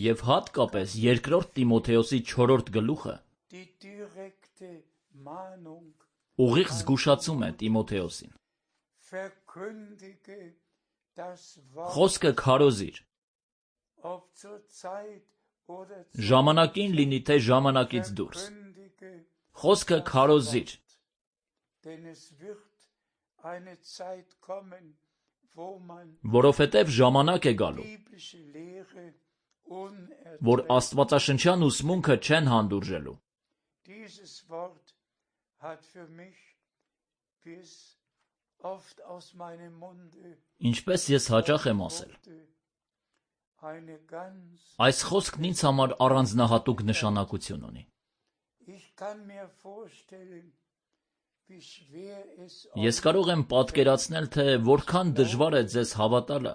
Եվ հատկապես երկրորդ Տիմոթեոսի չորրորդ գլուխը ուղիղ զգուշացում է Տիմոթեոսին։ Խոսքը քարոզիր, ժամանակին լինի թե ժամանակից դուրս, խոսքը քարոզիր, որովհետև ժամանակ է գալու, որ աստվածաշնչյան ուսմունքը չեն հանդուրժելու։ Ինչպես ես հաճախ եմ ասել, այս խոսքն ինձ համար առանձնահատուկ նշանակություն ունի։ Ես կարող եմ պատկերացնել, թե որքան դժվար է ձեզ հավատալը,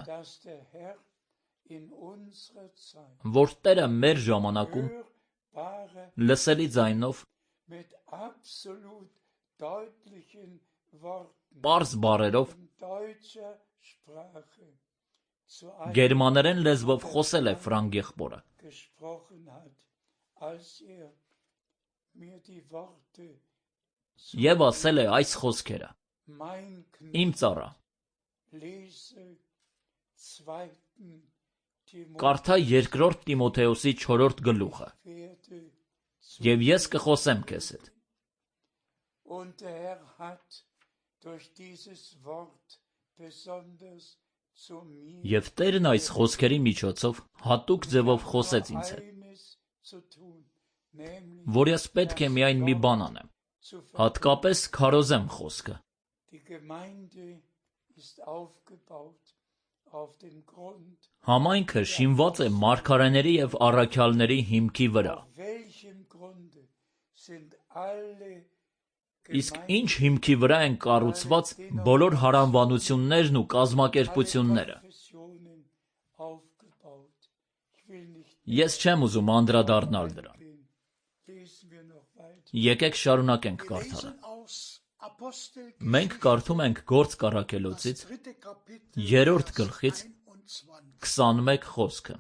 որ Տերը մեր ժամանակում լսելի ձայնով, պարզ բառերով, գերմաներեն լեզվով խոսել է Ֆրանկ եղբորը։ Եվ ասել է այս խոսքերը. «Իմ ծառա, կարդա երկրորդ Տիմոթեոսի չորրորդ գլուխը, և ես կխոսեմ քեզ հետ»։ Եվ Տերն այս խոսքերի միջոցով հատուկ ձևով խոսեց ինձ հետ, որ ես պետք է միայն մի բան անեմ, հատկապես քարոզեմ խոսքը, Համայնքը շինված է մարգարեների և առաքյալների հիմքի վրա։ Իսկ ինչ հիմքի վրա են կառուցված բոլոր հարանվանություններն ու կազմակերպությունները։ Ես չեմ ուզում անդրադառնալ դրան։ Եկեք շարունակենք կարդալը։ Մենք կարդում ենք Գործք առաքելոցից երրորդ գլխից քսանմեկ խոսքը,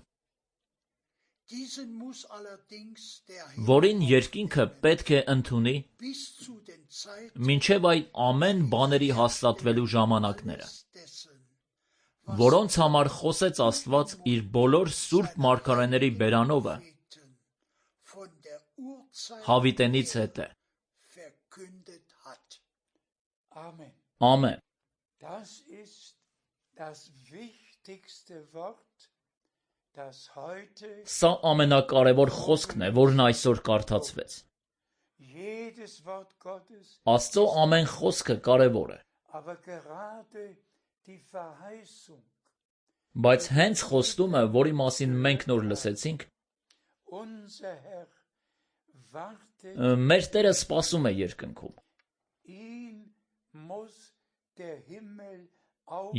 որին երկինքը պետք է ընդունի մինչև այդ ամեն բաների հաստատվելու ժամանակները, որոնց համար խոսեց Աստված իր բոլոր սուրբ մարգարեների բերանովը հավիտենից հետը։ Ամեն։ Սա ամենակարևոր խոսքն է, որն այսօր կարդացվեց։ Աստծո ամեն խոսքը կարևոր է։ Բայց հենց խոստումը, որի մասին մենք նոր լսեցինք, մեր Տերը սպասում է երկնքում։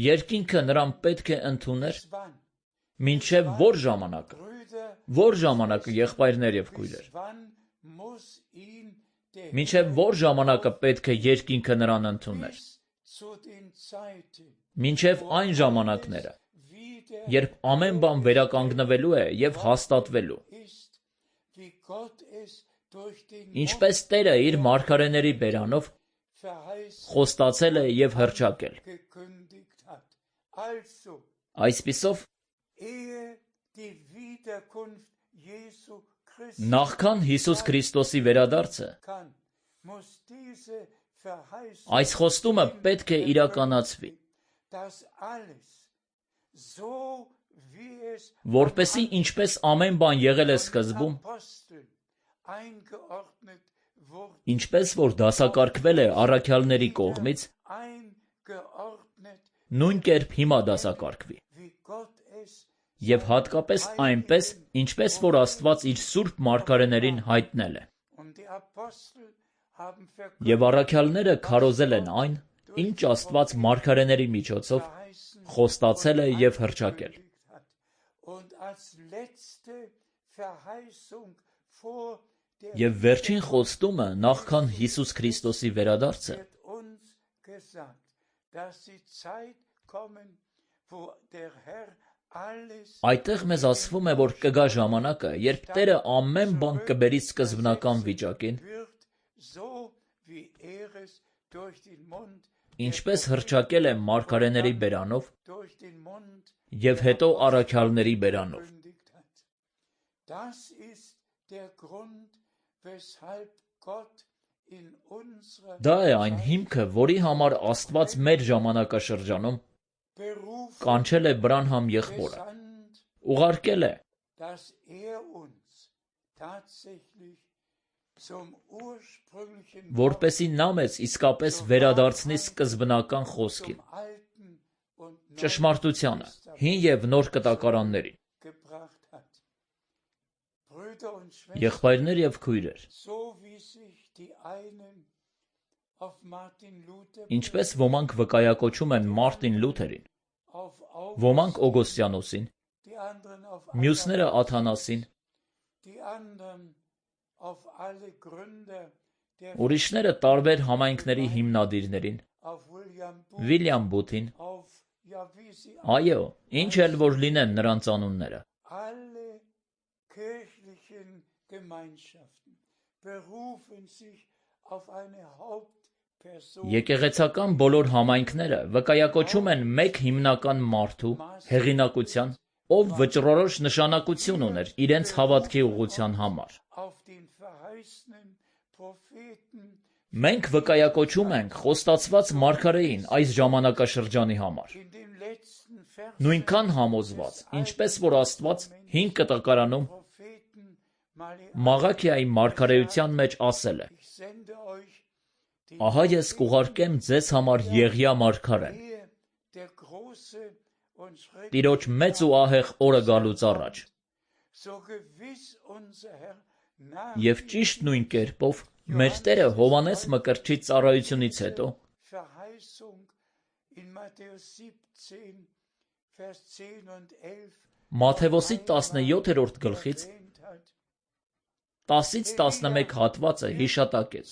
Երկինքը նրան պետք է ընդուներ մինչև որ ժամանակը, որ ժամանակը եղբայրներ և քույրեր, մինչև որ ժամանակը պետք է երկինքը նրան ընդուներ, մինչև այն ժամանակները, երբ ամեն բան վերականգնվելու է և հաստատվելու, ինչպես Տերը իր մարգարեների բերանով խոստացել է և հռչակել։ Այսպիսով, նախքան Հիսուս Քրիստոսի վերադարձը, այս խոստումը պետք է իրականացվի, որպեսզի ինչպես ամեն բան եղել է սկզբում, ինչպես որ դասակարգվել է առաքյալների կողմից, նույն կերպ հիմա դասակարգվի։ Եվ հատկապես այնպես, ինչպես որ Աստված իր սուրբ մարգարեներին հայտնել է։ Եվ առաքյալները քարոզել են այն, ինչ Աստված մարգարեների միջոցով խոստացել է և հռչակել։ Եվ վերջին խոստումը նախքան Հիսուս Քրիստոսի վերադարձը այդտեղ մեզ ասվում է, որ կգա ժամանակը, երբ Տերը ամեն բան կբերի սկզբնական վիճակին, ինչպես հռչակել է մարգարեների բերանով և հետո առաքյալների բերանով։ Դա է այն հիմքը, որի համար Աստված մեր ժամանակաշրջանում կանչել է Բրանհամ եղբորը, ուղարկել է, որպեսզի նա մեզ իսկապես վերադարձնի սկզբնական խոսքին, ճշմարտությանը, հին և նոր կտակարաններին։ Եղբայրներ և քույրեր, ինչպես ոմանք վկայակոչում են Մարտին Լութերին, ոմանք Օգոստիանոսին, մյուսները Աթանասին, ուրիշները տարբեր համայնքների հիմնադիրներին, Վիլյամ Բութին, այո, ինչ էլ որ լինեն նրանց անունները։ Եկեղեցական բոլոր համայնքները վկայակոչում են մեկ հիմնական մարդու հեղինակության, ով վճռորոշ նշանակություն ուներ իրենց հավատքի ուղղության համար։ Մենք վկայակոչում ենք խոստացված մարգարեին այս ժամանակաշրջանի համար, նույնքան համոզված, ինչպես որ Աստված հին կտակարանում Մաղաքիայի մարգարեության մեջ ասել է. Ահա ես կուղարկեմ ձեզ համար Եղիա մարգարեն, Տիրոջ մեծ ու ահեղ օրը գալուց առաջ, և ճիշտ նույն կերպով մեր Տերը Հովհաննես Մկրտչի ծառայությունից հետո Մատթեոսի տասնյոթերորդ գլխից տասից տասնմեկ հատվածը հիշատակեց,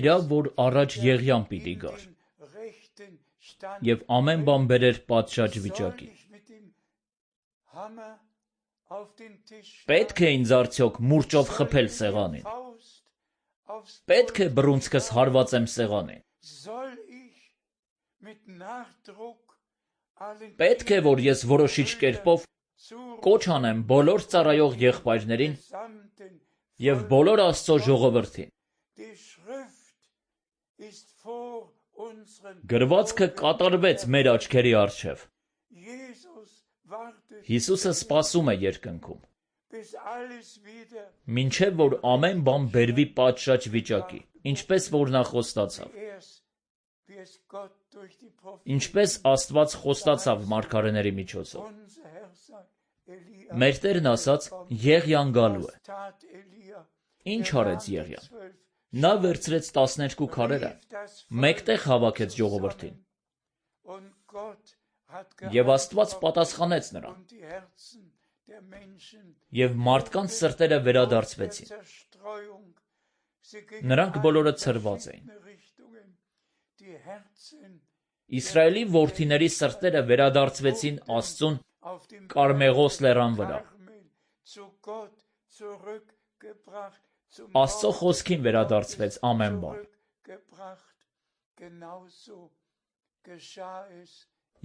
իրավ, որ առաջ Եղիան պիտի գար և ամեն բան բերեր պատշաճ վիճակի։ Պետք է ինձ արդյոք մուրճով խփել սեղանին, պետք է բռունցքս հարվածեմ սեղանին, պետք է, որ ես որոշիչ կերպով կոչ անեմ բոլոր ծառայող եղբայրներին և բոլոր Աստծո ժողովրդին։ Գրվածքը կատարվեց մեր աչքերի առջև։ Հիսուսը սպասում է երկնքում, մինչև որ ամեն բան բերվի պատշաճ վիճակի, ինչպես որ նա խոստացավ, ինչպես Աստված խոստացավ մարգարեների միջոցով։ Մեր Տերն ասաց, Եղիան գալու է։ Ինչ արեց Եղիան։ Նա վերցրեց տասներկու քարերը, մեկտեղ հավաքեց ժողովրդին, և Աստված պատասխանեց նրան, և մարդկանց սրտերը վերադարձվեցին։ Նրանք բոլորը ցրված էին։ Իսրայելի որդիների սրտերը վերադարձվեցին Աստծուն Կարմեղոս լեռան վրա։ Աստծո խոսքին վերադարձվեց ամեն բան։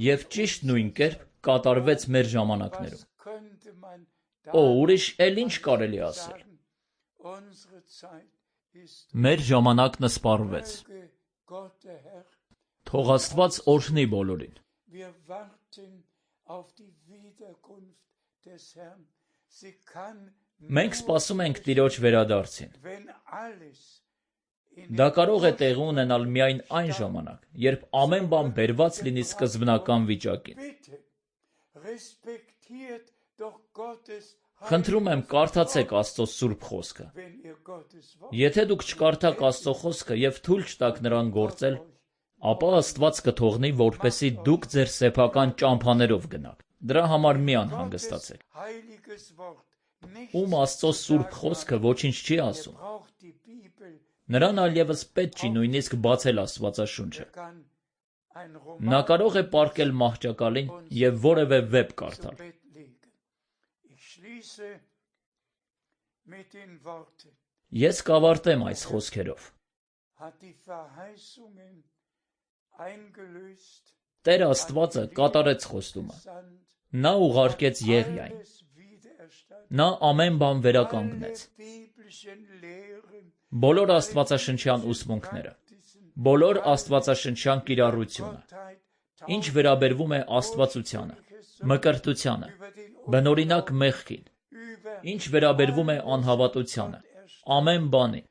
Եվ ճիշտ նույն կերպ կատարվեց մեր ժամանակներում։ Օ, ուրիշ էլ ինչ կարելի ասել։ Մեր ժամանակն սպառվեց։ Թող Աստված օրհնի բոլորին։ Մենք սպասում ենք Տիրոջ վերադարձին։ Դա կարող է տեղի ունենալ միայն այն ժամանակ, երբ ամեն բան բերված լինի սկզբնական վիճակին։ Խնդրում եմ, կարդացեք Աստծո սուրբ խոսքը։ Եթե դուք չկարդաք Աստծո խոսքը և թույլ չտաք նրան գործել, ապա Աստված կթողնի, որպեսզի դուք ձեր սեփական ճամփաներով գնաք։ Դրա համար մի անհանգստացեք։ Ում Աստծո սուրբ խոսքը ոչինչ չի ասում, նրան այլևս պետք չի նույնիսկ բացել Աստվածաշունչը։ Նա կարող է պառկել մահճակալին և որևէ վեպ կարդալ։ Ես կավարտեմ այս խոսքերով։ Տեր Աստվածը կատարեց խոստումը։ Նա ուղարկեց Եղիային։ Նա ամեն բան վերականգնեց։ Բոլոր աստվածաշնչյան ուսմունքները, բոլոր աստվածաշնչյան կիրառությունը, ինչ վերաբերվում է աստվածությանը, մկրտությանը, բնօրինակ մեղքին, ինչ վերաբերվում է անհավատությանը, ամեն բանին,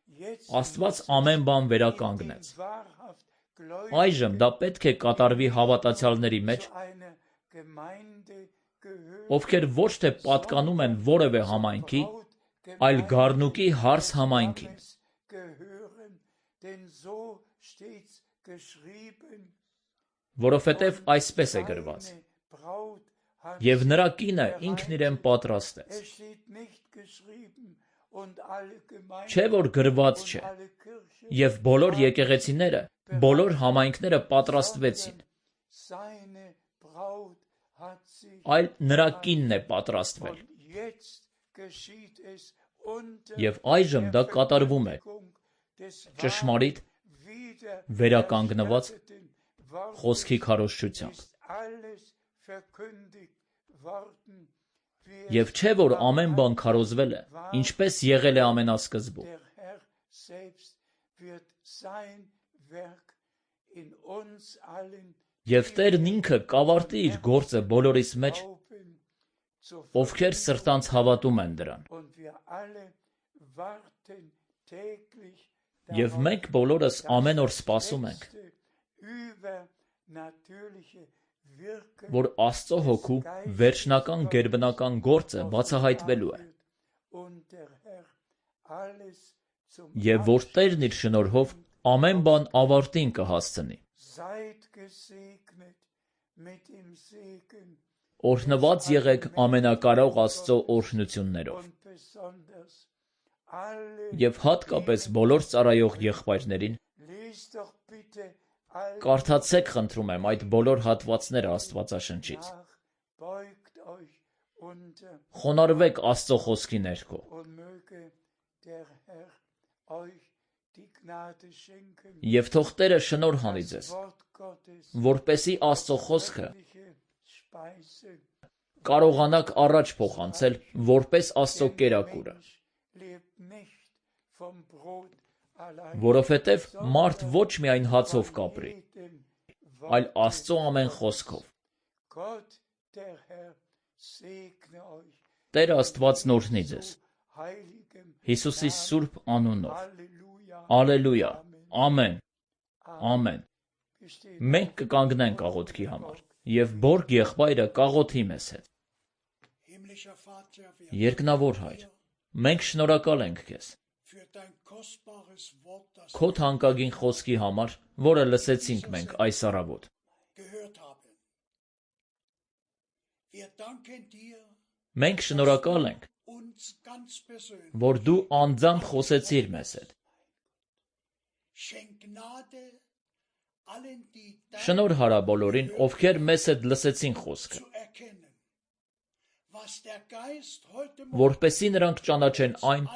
Աստված ամեն բան վերականգնեց։ Այժմ դա պետք է կատարվի հավատացյալների մեջ, ովքեր ոչ թե պատկանում են որևէ համայնքի, այլ գառնուկի հարս համայնքին։ Որովհետև այսպես է գրված. «Եվ նրա կինը ինքն իրեն պատրաստեց»։ Չէ՞ որ գրված չէ. «Եվ բոլոր եկեղեցիները, բոլոր համայնքները պատրաստվեցին»։ Այլ նրա կինն է պատրաստվել։ Եվ այժմ դա կատարվում է ճշմարիտ, վերականգնված խոսքի քարոզչությամբ։ Եվ չէ՞ որ ամեն բան քարոզվել է, ինչպես եղել է ամենասկզբում։ Եվ Տերն ինքը կավարտի իր գործը բոլորիս մեջ, ովքեր սրտանց հավատում են դրան։ Եվ մենք բոլորս ամեն օր սպասում ենք, որ Աստծո Հոգու վերջնական գերբնական գործը բացահայտվելու է, և որ Տերն իր շնորհով ամեն բան ավարտին կհասցնի։ Օրհնված եղեք ամենակարող Աստծո օրհնություններով։ Եվ հատկապես բոլոր ծառայող եղբայրներին կարդացեք, խնդրում եմ, այդ բոլոր հատվածները Աստվածաշնչից։ Խոնարհվեք Աստծո խոսքի ներքո։ Եվ թող Տերը շնորհ անի ձեզ, որպեսզի Աստծո խոսքը կարողանաք առաջ փոխանցել որպես Աստծո կերակուրը։ Որովհետև մարդ ոչ միայն հացով կապրի, այլ Աստծո ամեն խոսքով։ Տեր Աստվածն օրհնի ձեզ Հիսուսի սուրբ անունով։ Ալելույա, ամեն, ամեն։ Մենք կկանգնենք աղոթքի համար, և Բորգ եղբայրը կաղոթի մեզ հետ։ Երկնավոր Հայր, մենք շնորհակալ ենք Քեզ Քո թանկագին խոսքի համար, որը լսեցինք մենք այս առավոտ։ Մենք շնորհակալ ենք, որ Դու անձամբ խոսեցիր մեզ հետ։ Շնորհ արա բոլորին, ովքեր մեզ հետ լսեցին խոսքը, որպեսզի նրանք ճանաչեն այն,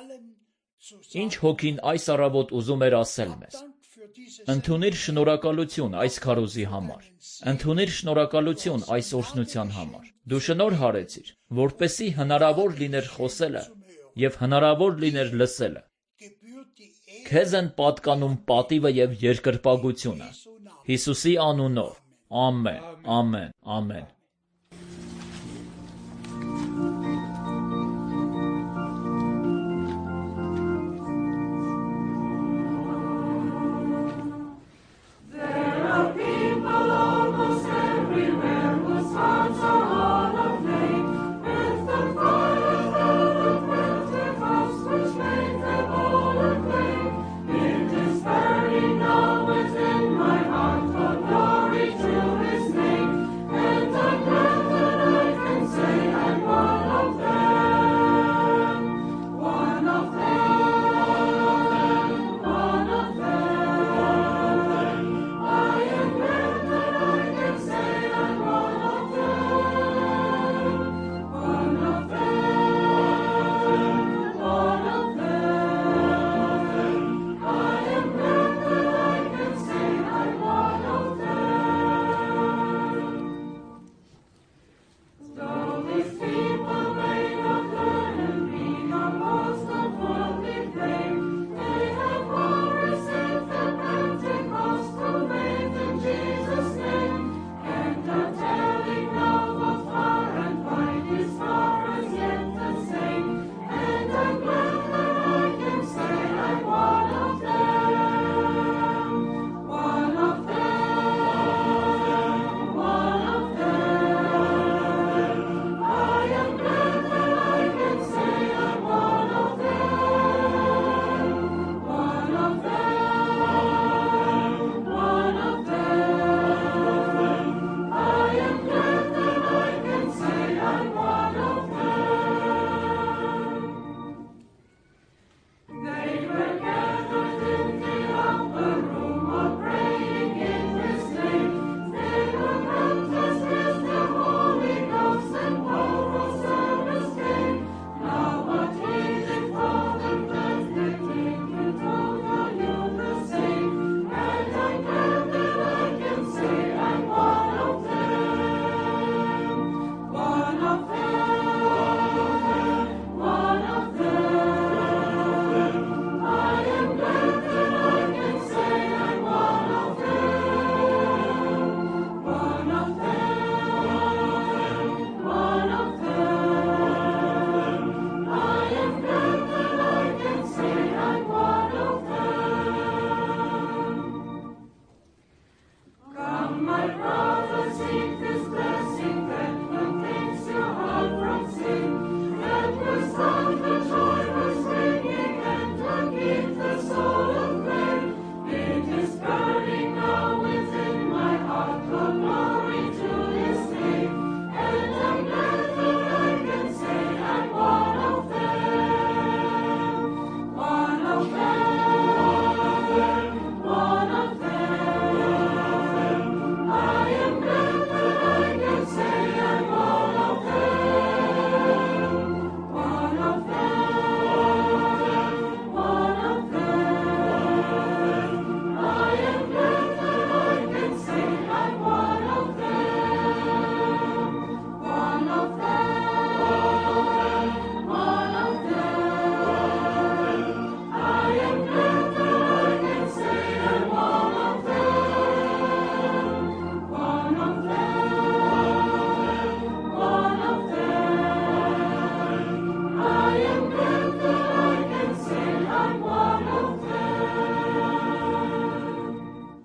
ինչ Հոգին այս առավոտ ուզում էր ասել մեզ։ Ընդունիր շնորհակալություն այս քարոզի համար։ Ընդունիր շնորհակալություն այս օրհնության համար։ Դու շնորհ արեցիր, որպեսզի հնարավոր լիներ խոսելը և հնարավոր լիներ լսելը։ Քեզ են պատկանում պատիվը և երկրպագությունը։ Հիսուսի անունով։ Ամեն, ամեն, ամեն։